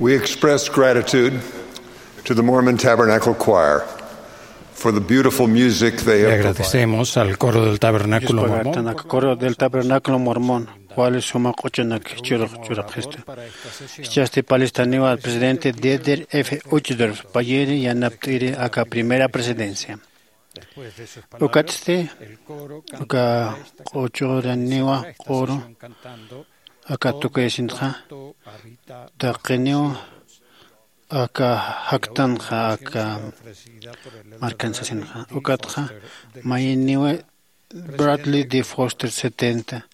We express gratitude to the Mormon Tabernacle Choir for the beautiful music they Le have provided. Agradecemos al coro del Tabernáculo Mormón. Coro del Tabernáculo Mormón, wali suma q'uchunak churux churapxistu. Ischasti palistaniwa al presidente Dieter F. Uchtdorf, payiri yanapt'iri aka primera presidencia. Ukatsti, uka q'uchuraniwa q'uru, aka tukuyasintxa, taqiniw aka jaktanxa, aka markan sasinxa, ukatxa mayiniw Bradley D. Foster setenta,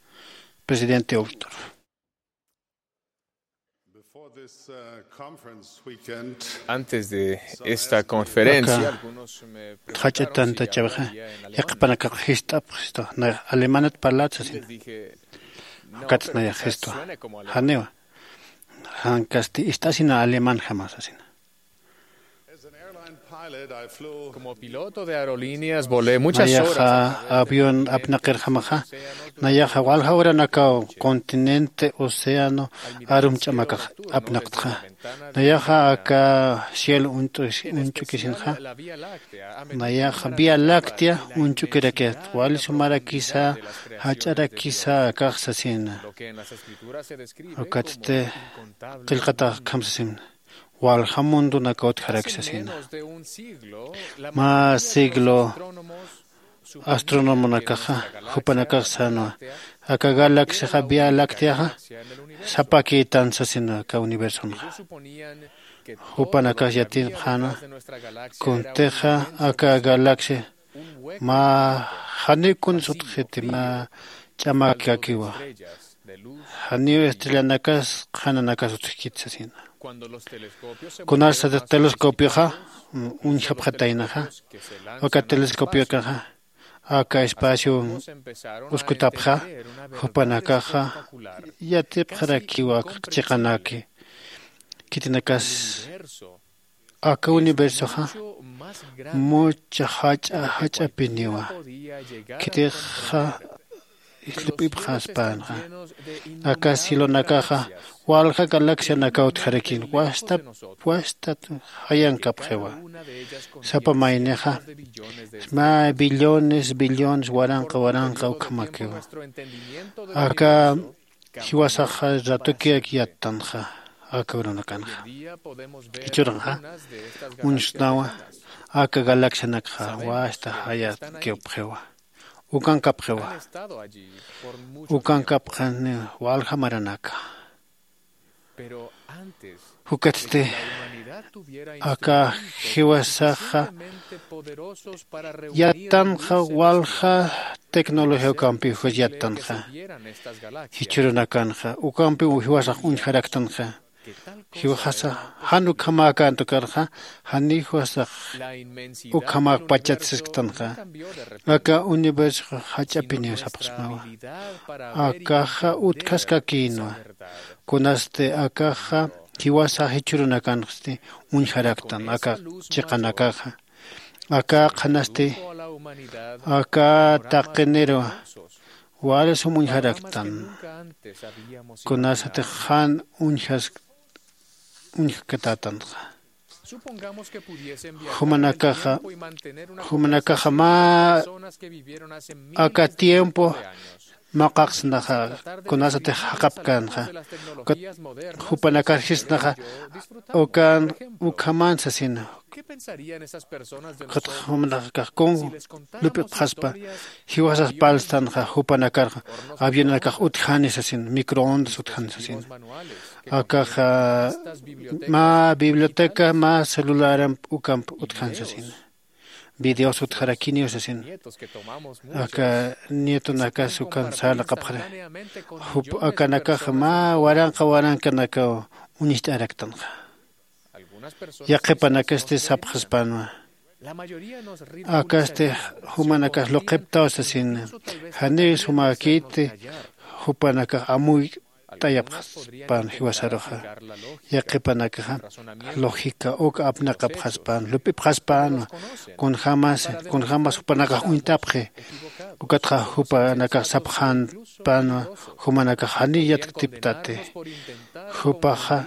presidente Uchtdorf. Before this, uh, conference weekend, Antes de esta conferencia, aka algunos me jach'a preguntaron si tanta yo chawxa, había en alemán. Yaqhipanakax jist'apxistu, na alemanat parlat sasin. Les dije, "No, pero esta suena como alemán." Janiwa. Jankasti ist'asina alemanjama sasina. Como piloto de aerolíneas, volé muchas horas. Nayaxa avión apnaqirjamaxa, nayaxa walja uranakaw continente, océano, arum ch'amakax apnaqtxa. Nayaxa aka cielo uñt'u-, uñch'ukisinxa, nayaxa Vía Láctea uñch'ukirakixa, wali sumarakisa, jach'arakisa akax sasina. Ukatsti qillqatax akham sasin. Walja mundonakaw utjaraki sasina. Mä siglo astrónomonakaxa, jupanakax sänwa, aka galaxiaxa, Vía Lácteaxa, sapakïtan sasina aka universonxa. Jupanakax yatipxäna, kuntixa aka galaxia mä janiw kuns utjxiti, mä ch'amakiwa. Janiw estrellanakas, qhanakas utjkiti sasina. Kunasatix telescopioxa uñjapxataynaxa, uka telescopiokaxa aka espacio uskutapxa, jupanakaxa yatipxarakiwa chiqanaki. Khitinakas aka universoxa mucha jach'a jach'apiniwa. Khitixa islup'ipxaspänxa. Aka cielonakaxa walja galaxianakaw utjarakïn, wastat wastat jayankapxiwa. Sapa maynixa mä billones billones waranqa waranqa ukhamakiwa. Aka jiwasaxa ratukiyak yattanxa aka urunakanxa. Jichhürunxa uñsnawa aka galaxianakxa wasta jayatkiwapxiwa, ukankapxiwa. Ukankapxani walja maranaka. Ukatsti aka jiwasaxa yattanxa walja tecnología ukampiw juch yattanxa. Jichhürunakanxa ukampiw jiwasax uñjaraktanxa. Jiwasasa jan ukhamäkäntukarxa janiw jiwasax ukhamäkpachat sisktanxa. Aka universoxa jach'apiniw sapxsmawa. Akaxa utjaskakïnwa. Kunasti akaxa jiwasa jichhürunakansti uñjaraktan aka chiqanakaxa. Aka qhanasti aka taqiniru wali sum uñjaraktan. Kunasatix jan uñjas uñjkatätanxa. Jumanakaxa jumanakaxa mä aka tiempo maqaqsnaxa kunasatix jaqapkänxa. Ukat jupanakar jisnaxa ukan ukhaman sasina. Ukatxa jumanakax kun lup'ipxaspa jiwasas parlstanxa jupanakarxa avionanakax utjani sasin microondas utjani sasin. Akaxa mä biblioteca mä celularamp ukamp utjan sasin. Videos utjarakiniw sasin. Aka nietonakas ukan sarnaqapxara. Jup akanakaxa mä waranqa warankanakaw uñicht'araktanxa. Yaqhipanakasti sapxaspänwa. Akasti jumanakas luqhiptaw sasina. Janiw sumäkiti jupanakax amuyt'ayapxaspän jiwasaruxa. Yaqhipanakaxa lógica uk apnaqapxaspän lup'ipxaspänwa. Kunjämas kunjämas jupanakax uñt'apxi. Ukatxa jupanakax sapxänpänwa jumanakax janiw yatktiptati. Jupaxa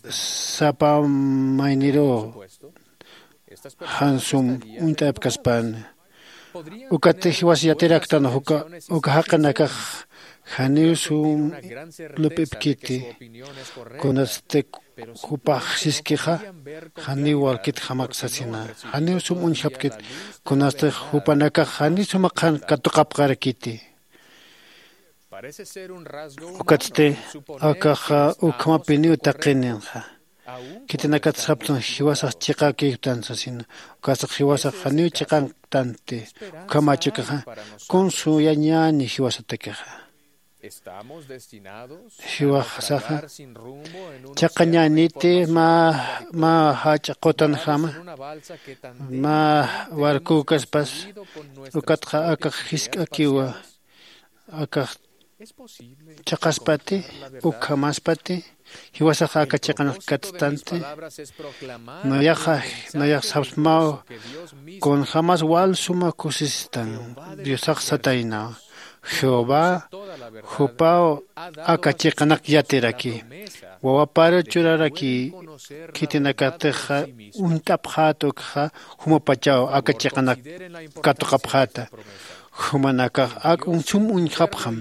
sapa mayniruw jan sum uñt'apkaspäna. Ukatix jiwas yatiraktan uka jaqinakax janiw sum lup'ipkiti. Kunatsti jupax siskixa janiw walkit jamak sasina. Janiw sum uñjapkit. Kunatsti jupanakax janiw suma qhan katuqapxarakiti. Ukatsti akaxa ukhamapiniw taqininxa. Khitinakat saptan jiwasax chiqakïktan sasina. Ukasax jiwasax janiw chiqanktanti. Ukhamächukaxa kun suyañäni jiwasatakixa. Jiwasaxa chiqañäniti mä mä jach'a qutanjama mä warkükaspas. Ukatxa akax jisk'akiwa akax chiqaspati ukhamaspati jiwasaxa aka chiqanax katstanti. Nayaxa nayax sapsmaw kunjämas wal suma kusistan. Diosax sataynaw jehová jupaw aka chiqanak yatiraki wawaparu churaraki. Khitinakatixa uñt'apxäta ukxa jumapachaw aka chiqanak katuqapxäta. Jumanakax ak sum uñjapxam.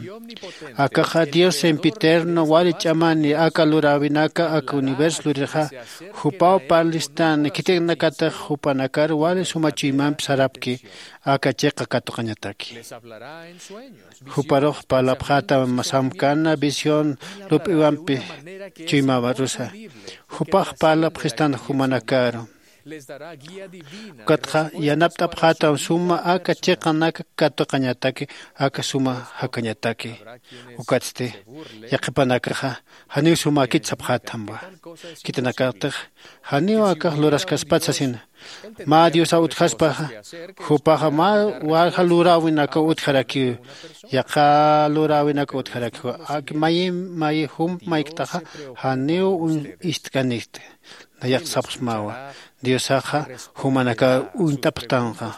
Akaxa dios sempiterno wali ch'amani aka luräwinaka aka universo luririxa jupaw parlistan khitinakatix jupanakar wali suma chuymamp sarapki aka chiqa katuqañataki. Juparux parlapxätam samkana visión lup'iwampi chuymawarusa. Jupax parlapxistan jumanakaru ukatxa yanapt'apxätam suma aka chiqanak katuqañataki aka suma jakañataki. Ukatsti yaqhipanakaxa janiw sumäkit sapxäthamwa. Khitinakatix janiw akax luraskaspat sasina. Mä diosaw utjaspaxa jupaxa mä walja luräwinakaw utjarakiw. Yaqha luräwinakaw utjarakiw ak mayi mayi jump mayktaxa janiw ist'kanikti. Nayax sapxsmawa diosaxa jumanakar uñt'apxtanxa.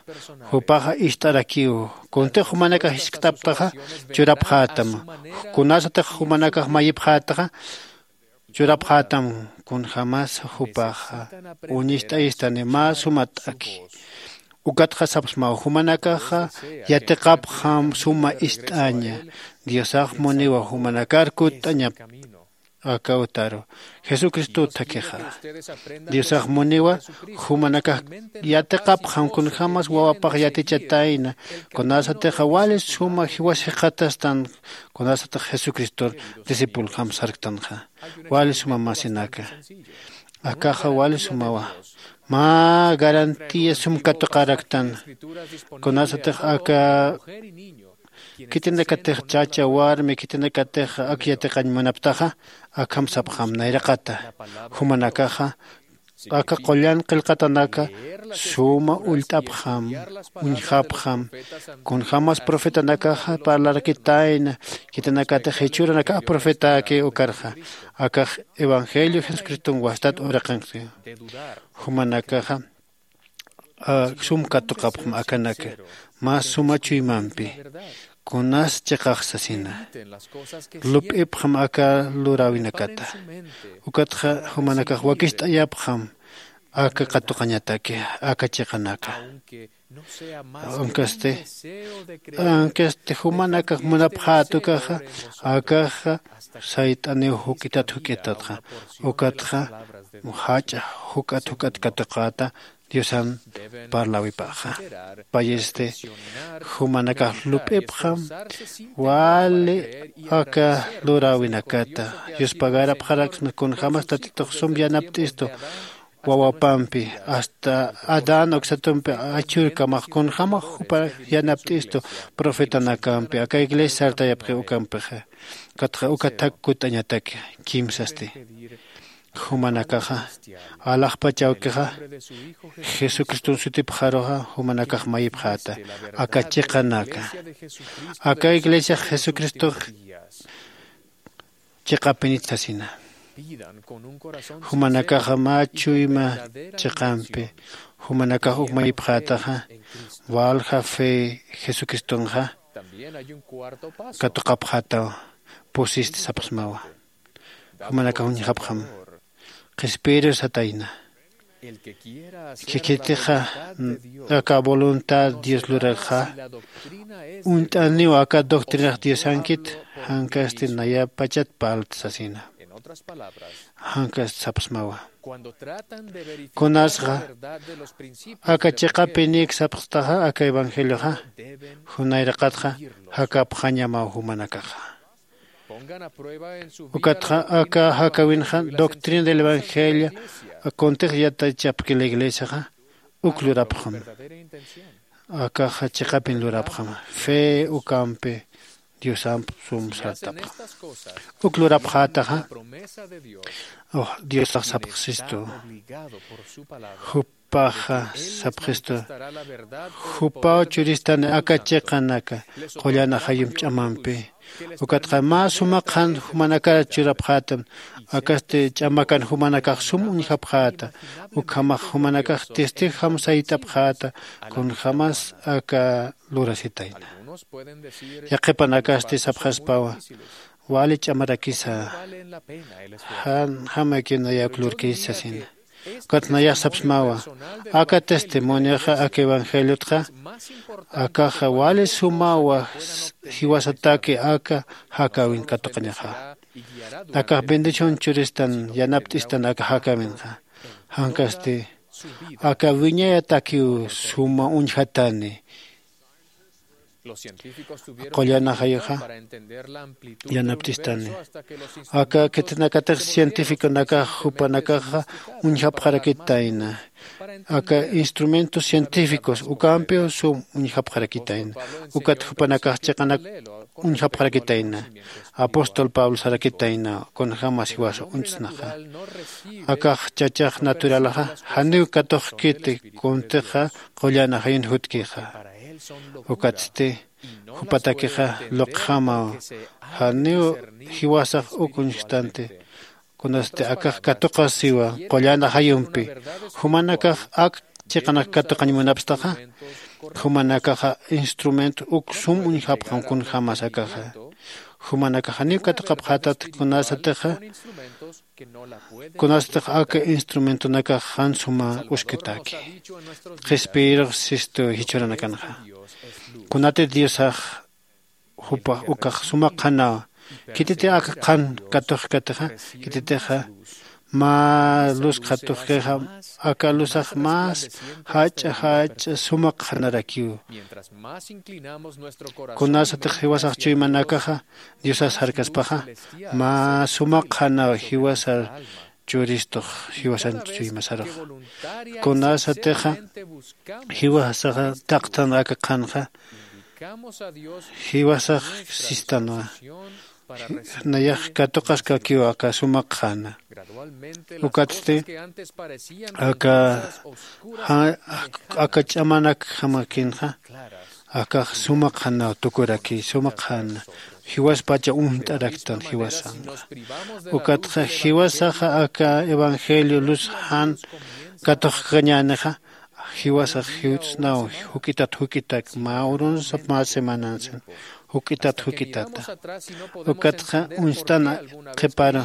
Jupaxa ist'arakiw kuntix jumanakax jiskt'aptaxa churapxätam. Kunasatix jumanakax mayipxätaxa churapxätam. Kunjämas jupaxa uñist'ayistani mä suma t'aki. Ukatxa sapxsmaw jumanakaxa yatiqapxam suma ist'aña. Diosax muniwa jumanakar kutt'añap Aka utaru jesucristo utjakixa. Diosax muniwa jumanakax yatiqapxam kunjämas wawapax yatichatayna, kunasatixa wali suma jiwas jikxatastan, kunasatix jesucristor discipuljam sarktanxa. Wali suma masinaka, akaxa wali sumawa. Mä garantía sum katuqaraktan, kunasatix aka khitinakatix chacha warmi khitinakatix ak yatiqañ munaptaxa, akham sapxam nayraqata. Jumanakaxa aka qullan qillqatanaka suma ullt'apxam, uñjapxam, kunjämas profetanakaxa parlarakitayna, khitinakatix jichhüranakax profetäki ukarxa. Akax evangelio jesucriston wastat uraqinqsi. Jumanakaxa sum katuqapxam akanaka, mä suma chuymampi kunas chiqax sasina. Lup'ipxam aka luräwinakata. Ukatxa jumanakax wakicht'ayapxam aka katuqañataki, aka chiqanaka. Ankasti ankasti jumanakax munapxät ukaxa, akaxa sayt'aniw juk'itat juk'itatxa. Ukatxa jach'a juk'at juk'at katuqäta diosan parlawipaxa. Payisti jumanakax lup'ipxam wali aka luräwinakata. Yuspagarapxaraksna kunjämas tatitux sum yanapt'istu wawapampi, hasta adán uksatumpi achhürkamax kunjämax jupa yanapt'istu profetanakampi aka iglesia sartayapxi ukampixa. Ukatxa uka thak kutt'añataki. Kimsasti jumanakaxa alaxpach awkixa jesucriston sutipxaruxa jumanakax mayipxäta. Aka chiqanaka aka iglesiax jesucristox chiqapinit sasina. Jumanakaxa mä chuyma chiqampi jumanakax uk mayipxätaxa walja fe jesucristonxa katuqapxätaw. Pusisti sapxsmawa. Jumanakax uñjapxam qhispiru satayna. Khikhitixa aka voluntad dios lurarxa uñt'aniw aka doctrinax diosankit jankasti nayapachat parlt sasina. Jankasti sapxsmawa. Kunasxa aka chiqapinik sapxstaxa aka evangelioxa junayraqatxa jakapxañamaw jumanakaxa. Ukatxa aka jakäwinxa doctrina del evangelio kuntix yatichapki la iglesiaxa uk lurapxam. Akaxa chiqapin lurapxam fe ukampi diosamp sum sartapxam. Uk lurapxätaxa diosax sapxsistu jup paxa sapxistu. Jupaw churistani aka chiqanaka qullan ajayump ch'amampi. Ukatxa mä suma qhan jumanakar churapxätam. Akasti ch'amakan jumanakax sum uñjapxäta. Ukhamax jumanakax testijam sayt'apxäta kunjämas aka lurasitayna. Yaqhipanakasti sapxaspawa wali ch'amarakisa. Jan jamakina yak lurkisa sasina. Ukat nayax sapsmawa aka testimonioxa aka evangeliotxa akaxa wali sumawa jiwasataki aka jakäwin katuqañaxa. Akax bendición churistan yanapt'istan aka jakäwinxa. Jankasti aka wiñayatakiw suma uñjatani. Qullan ajayuxa yanapt'istani. Aka khitinakatix cientificonakax jupanakaxa uñjapxarakitayna. Aka instrumentos científicos ukampiw sum uñjapxarakitayna. Ukat jupanakax chiqanak uñjapxarakitayna. Apóstol pablo sarakitayna kunjämas jiwasa uñtsnaxa. Akax chachax naturalaxa janiw katuqkiti kuntixa qullan ajayun jutkixa. Ukatsti jupatakixa luqjamaw janiw jiwasax uk uñjktanti. Kunasti akax katuqasiwa qullan ajayumpi. Jumanakax ak chiqanak katuqañ munapstaxa jumanakaxa instrumento uk sum uñjapxam kunjämas akaxa. Jumanakax janiw katuqapxätat kunasatixa kunasatix aka instrumentonakax jan suma uskitaki. Qhispiyirux sistu jichhüranakanxa kunati diosax jupax ukax suma qhanawa. Khititi aka qhan katuxkatixa, khititixa mä luz qhatuxkixa, aka luzax más jach'a jach'a suma qhanarakiw. Kunasatix jiwasax chuymanakaxa diosas jarkaspaxa, mä suma qhanaw jiwasar churistux jiwasan chuymasaruxa. Kunasatixa jiwasaxa taqtan aka qhanxa, jiwasax sistanwa. Nayax katuqaskakiw aka suma qhana. Ukatsti aka ja- aka ch'amanakjamakinxa akax suma qhanaw tukuraki, suma qhana jiwaspacha uñt'araktan jiwasanxa. Ukatxa jiwasaxa aka evangelio luz jan katuxkañänixa, jiwasax jiwt'snaw juk'itat juk'itak mä urunsa mä semanansan juk'itat juk'itata. Ukatxa uñst'ana qhiparu,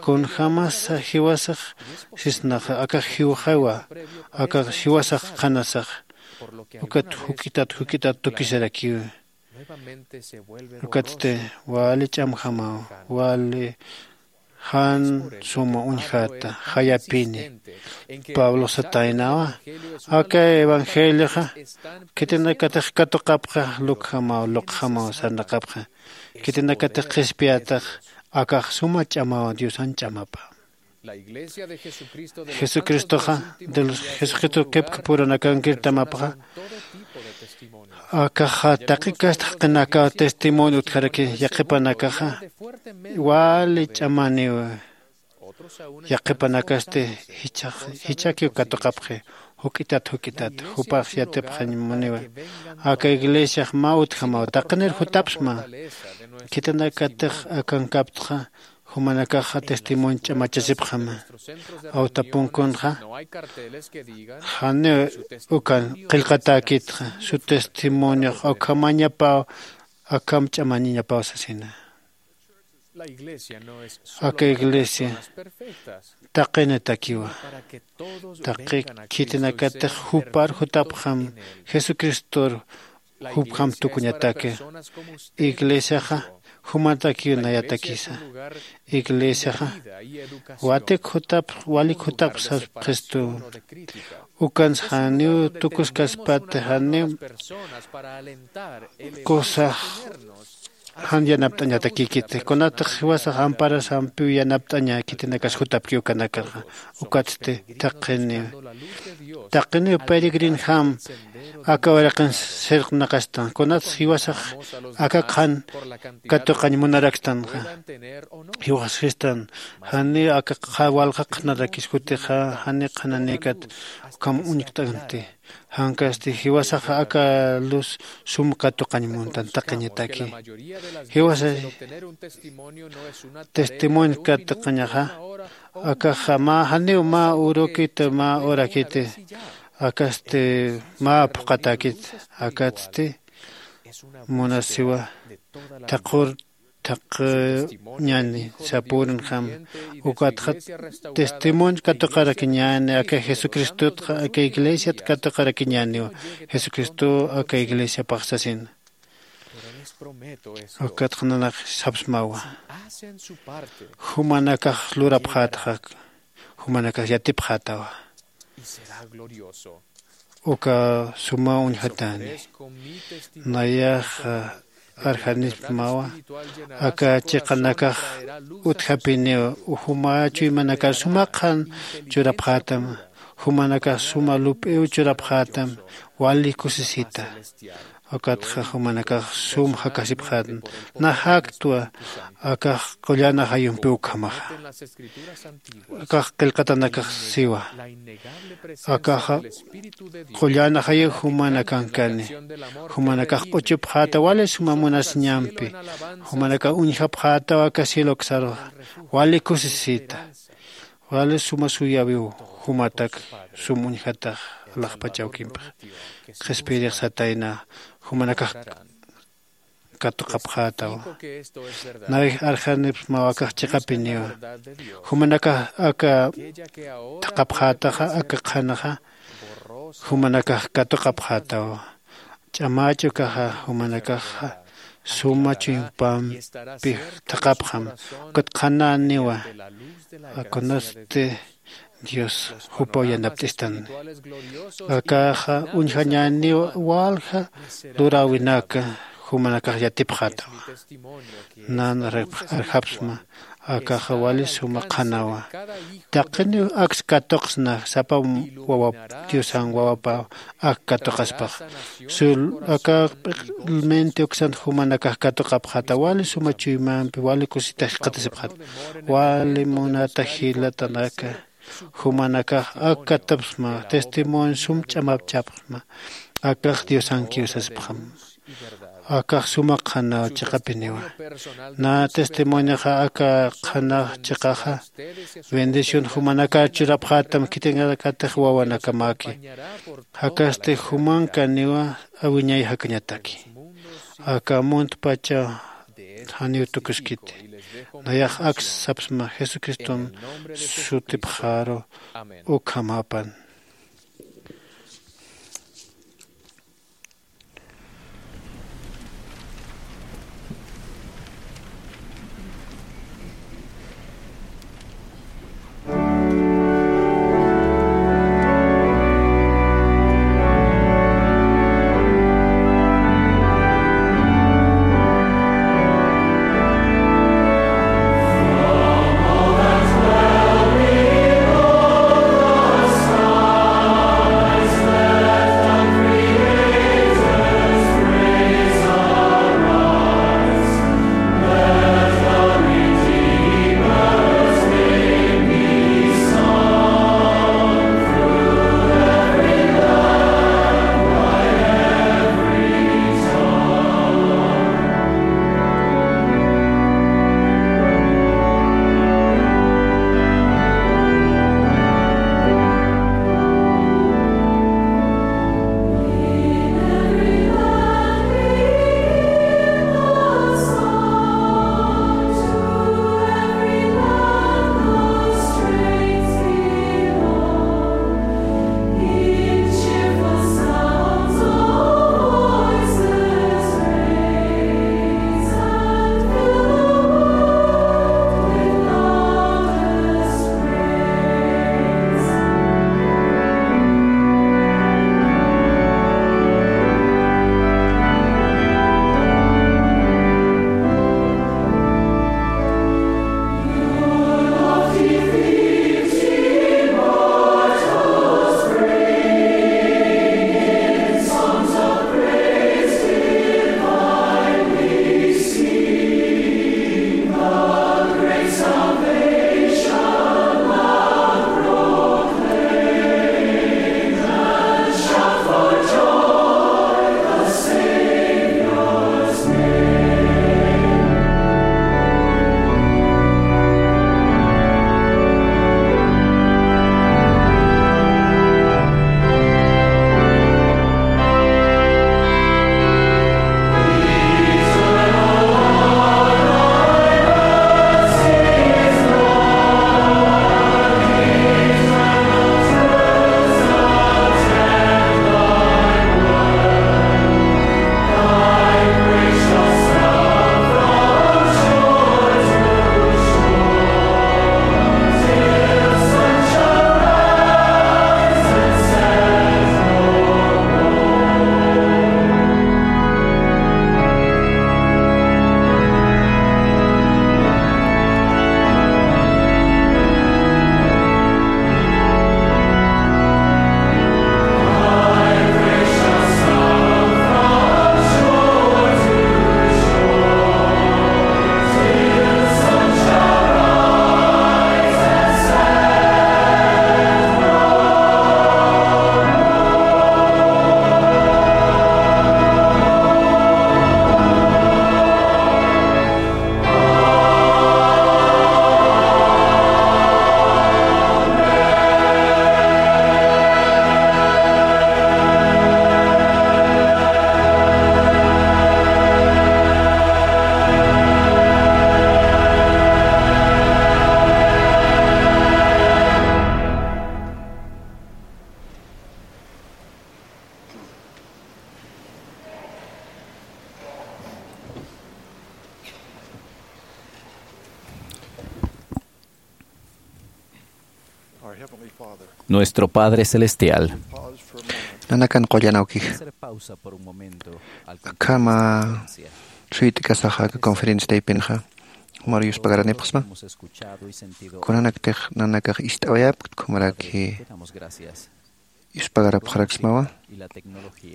kunjämasa jiwasax sisnaxa akax jiwxawa, akax jiwasax qhanasax ukat juk'itat juk'itat tukisarakiwi. Ukatsti wali ch'amjamaw, wali jan suma uñjata jayapini. Pablo sataynawa, aka evangelioxa khitinakatix katuqapxa lukjamaw luqjamaw sarnaqapxa, khitinakatix qhispiyatax akax suma ch'amaw diosan ch'amapa. Jesucristoxa de los jesucristo qhipkpurunakankirtamapxa, akaxa taqi kasta jaqinakaw testimonio utjaraki. Yaqhipanakaxa wali ch'amaniw, yaqhipanakasti jichhakiw katuqapxi juk'itat juk'itat jupax yatipxañ muniwa. Aka iglesiax mä utjamaw taqinir jutapsma. Khitinakatix akankaptxa jumanakaxa testimonio ch'amachasipxama. Awtapunkunxa janiw ukan qillqatäkitxa su testimoniox ukhamañapaw akham ch'amañañapaw sasina. Aka iglesia taqinitakiwa. Taqi khitinakatix jupar jutapxam jesucristor jupjam tukuñataki. Iglesiaxa jumatakiw nayatakisa. Iglesiaxa watik jutapx walik jutapx sasupxistu. Ukans janiw tukuskaspati janiw kusax jan yanapt'añatakïkiti kunatix jiwasax amparasampiw yanapt'aña khitinakas jutapki ukanakaxa. Ukatsti taqiniw taqiniw peregrinjam aka uraqin sirqnaqastan kunatix jiwasax aka qhan katuqañ munaraktanxa. Jiwaxsistan janiw aka qha walqa qhanarakis jutixa janiw qhananïkat ukham uñkt'anti. Jankasti jiwasax aka luz sum katuqañ muntan taqiñataki. Jiwasay testimonio katuqañaxa akaxa mä janiw mä urukiti mä urakiti akasti mä phuqhatäkit. Akatsti munasiwa thaqhur thaqhiñäni sapürinjam. Ukatxa testimonio katuqarakiñäni aka jesucristotxa aka iglesiat katuqarakiñäniwa. Jesucristow aka iglesiapax sasina. Ukatxa nanakax sapsmawa jumanakax lurapxätxa jumanakax yatipxätawa. Uka suma uñjatäni. Nayaxa arjanispmawa aka chiqanakax utjapiniw juma chuymanakar suma qhan churapxätam. Jumanakax suma lup'iw churapxätam wali kusisita. Ukatxa jumanakax sum jakasipxätan. Najaktwa akax qullan ajayumpiw ukhamaxa. Akax qillqatanakax siwa akaxa qullan ajayu jumanakankani. Jumanakax q'uchupxäta wali suma munasiñampi. Jumanakax uñjapxätaw aka cieloksaruxa wali kusisita. Wali suma suyäwiw jumatak sum uñjatax alaxpach awkimpix. Qhispiyirix satayna jumanakax katuqapxätaw. Nawij arjanipsmaw akax chiqapiniwa. Jumanakax aka thaqhapxätaxa aka qhanaxa jumanakax katuqapxätaw. Ch'amäch ukaxa jumanakaxa suma chuympampi thaqapxam. Ukat qhanäniwa, kunasti Dios jupaw yanapt'istani. Akaxa uñjañäniwa walja luräwinaka jumanakax yatipxätawa. Nan arjapxsma. Akaxa wali suma qhanawa. Taqiniw aks katuqsna sapa wawap, Diosan wawapa ak katuqaspax. Sul aka p'iq'lminti uksan jumanakax katuqapxata wali suma chuymampi wali kusita jikxatasipxata. Wali munata jilatanaka, jumanakax ak katupsma testimonio sum ch'amapchapxsma. Akax Diosankiw sasipxam. Akax suma qhanaw chiqapiniwa. Na testimonixa aka qhanax chiqaxa bendición jumanakar churapxätam khitinakatix wawanakamaki. Jakasti jumankaniwa awiñay jakañataki. Aka muntpacha janiw tukuskiti. Nayax aks sapsma Jesucriston sutipxaru ukhamapan. Nuestro Padre Celestial. Nanakan qullan awkix. Hacer pausa por un momento al akhama suyt'kasaxa aka conferencia taypinxa. Jumar yuspagarapxsma. Kunanaktix nanakax ist'awayapkt jumaraki. Yuspagarapxaraksmawa.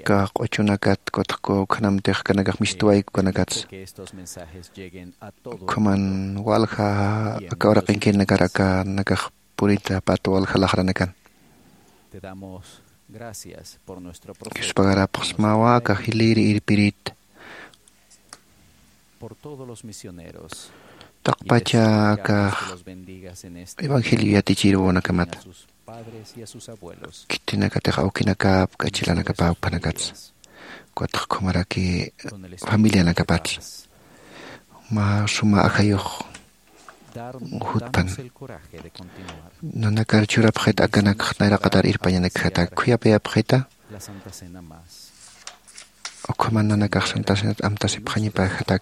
Aka q'uchunakat kutxku ukhanamtix kanakax mistuwayku kanakats. Ukhaman walja aka uraqinkinakar aka nakax purita pat walja laxranakan. Yuspagarapxsmawa aka jiliri irpirit. Taqpacha aka evangelio yatichirunakamat. Khitinakatix awkinakap k'achilanakap awpanakats. Kutxkumaraki familianakapats. Mä suma ajayux jutpan. Nanakar churapxit akanakx nayraqatar irpañanakjatak khuyapayapxita. Ukhaman nanakax santasinat amtasipxañapajatak.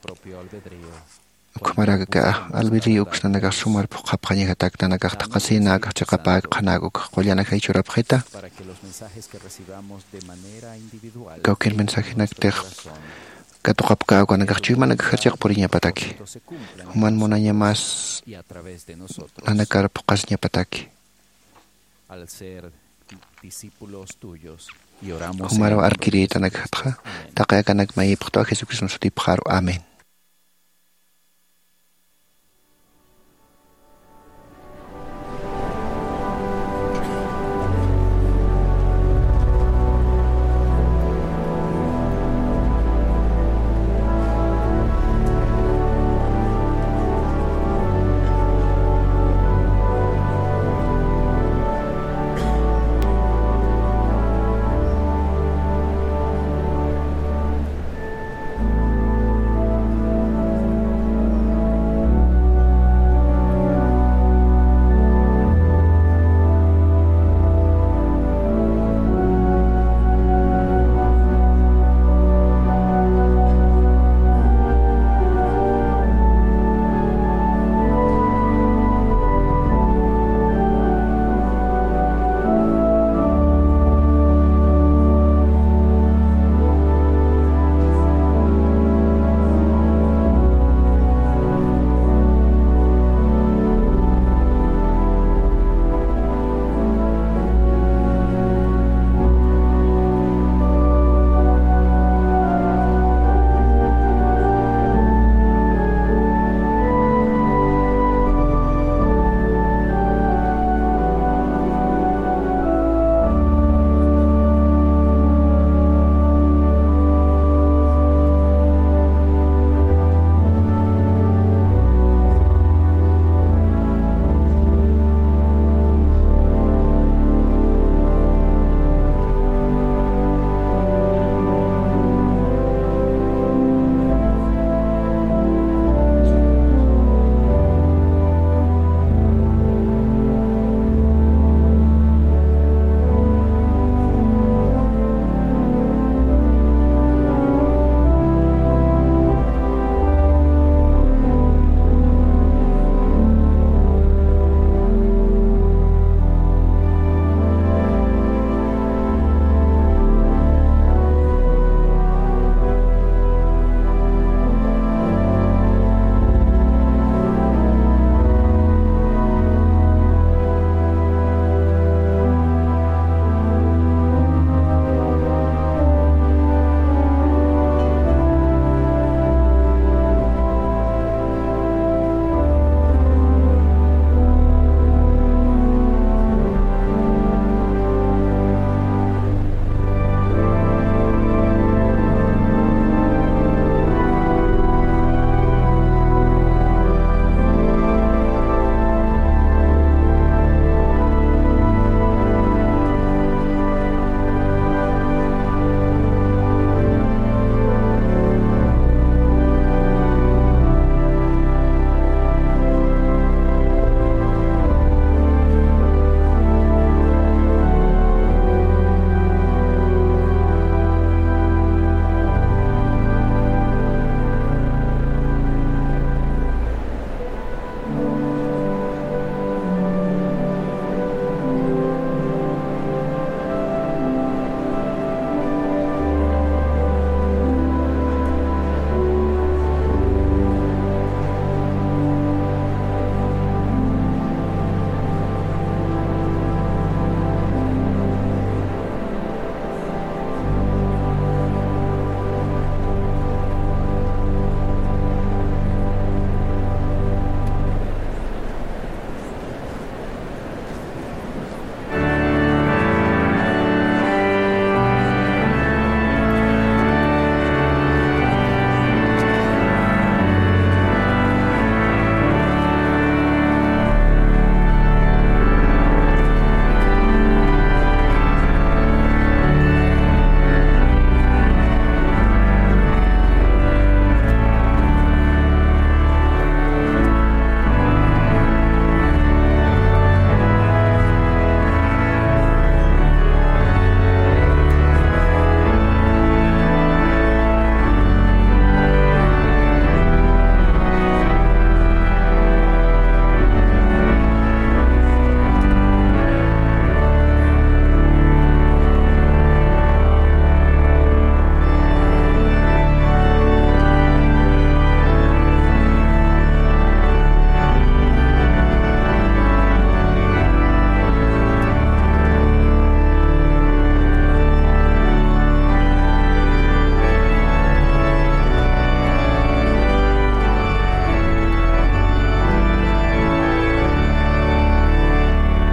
Ukhamaraka albedrío uks nanakax sumar phuqhapxañajatak nanakax thaqhasina akax chiqapäk qhanak ukx qullanakjay churapxita. Kawkir mensajenaktix katuqapkäw kanakax chuymanakaxar chiqpuriñapataki. Juman munañamas nanakar phuqhasiñapataki. Jumarwa arkirïtanakjatxa taqi akanak mayipxtwa jesucriston sutipxaru amén.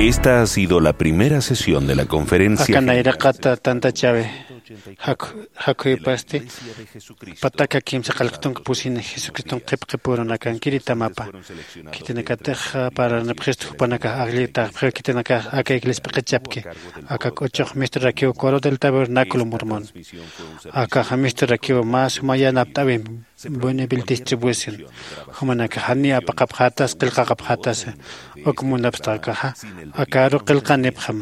Esta ha sido la primera sesión de la conferencia. Aka nayraqata tantachäwi. Jakhu jakhu jipasti pataka kimsa qallqtunka pusini jesucriston qhipqhipürunakankiri tamapa. Khitinakatix parlanipxistu jupanakax ajllitaxpxiw khitinakax aka iglesia p'iqichapki. Aka k'uchux mistrarakiw coro del tabernáculo mormón. Akaxa mistrarakiw mä suma yanapt'äwimpi buena viltischipwisin. Jumanakax janiw apaqapxätasa qillqaqapxätasa. Uk munapxtaxa akaru qillqanipxam.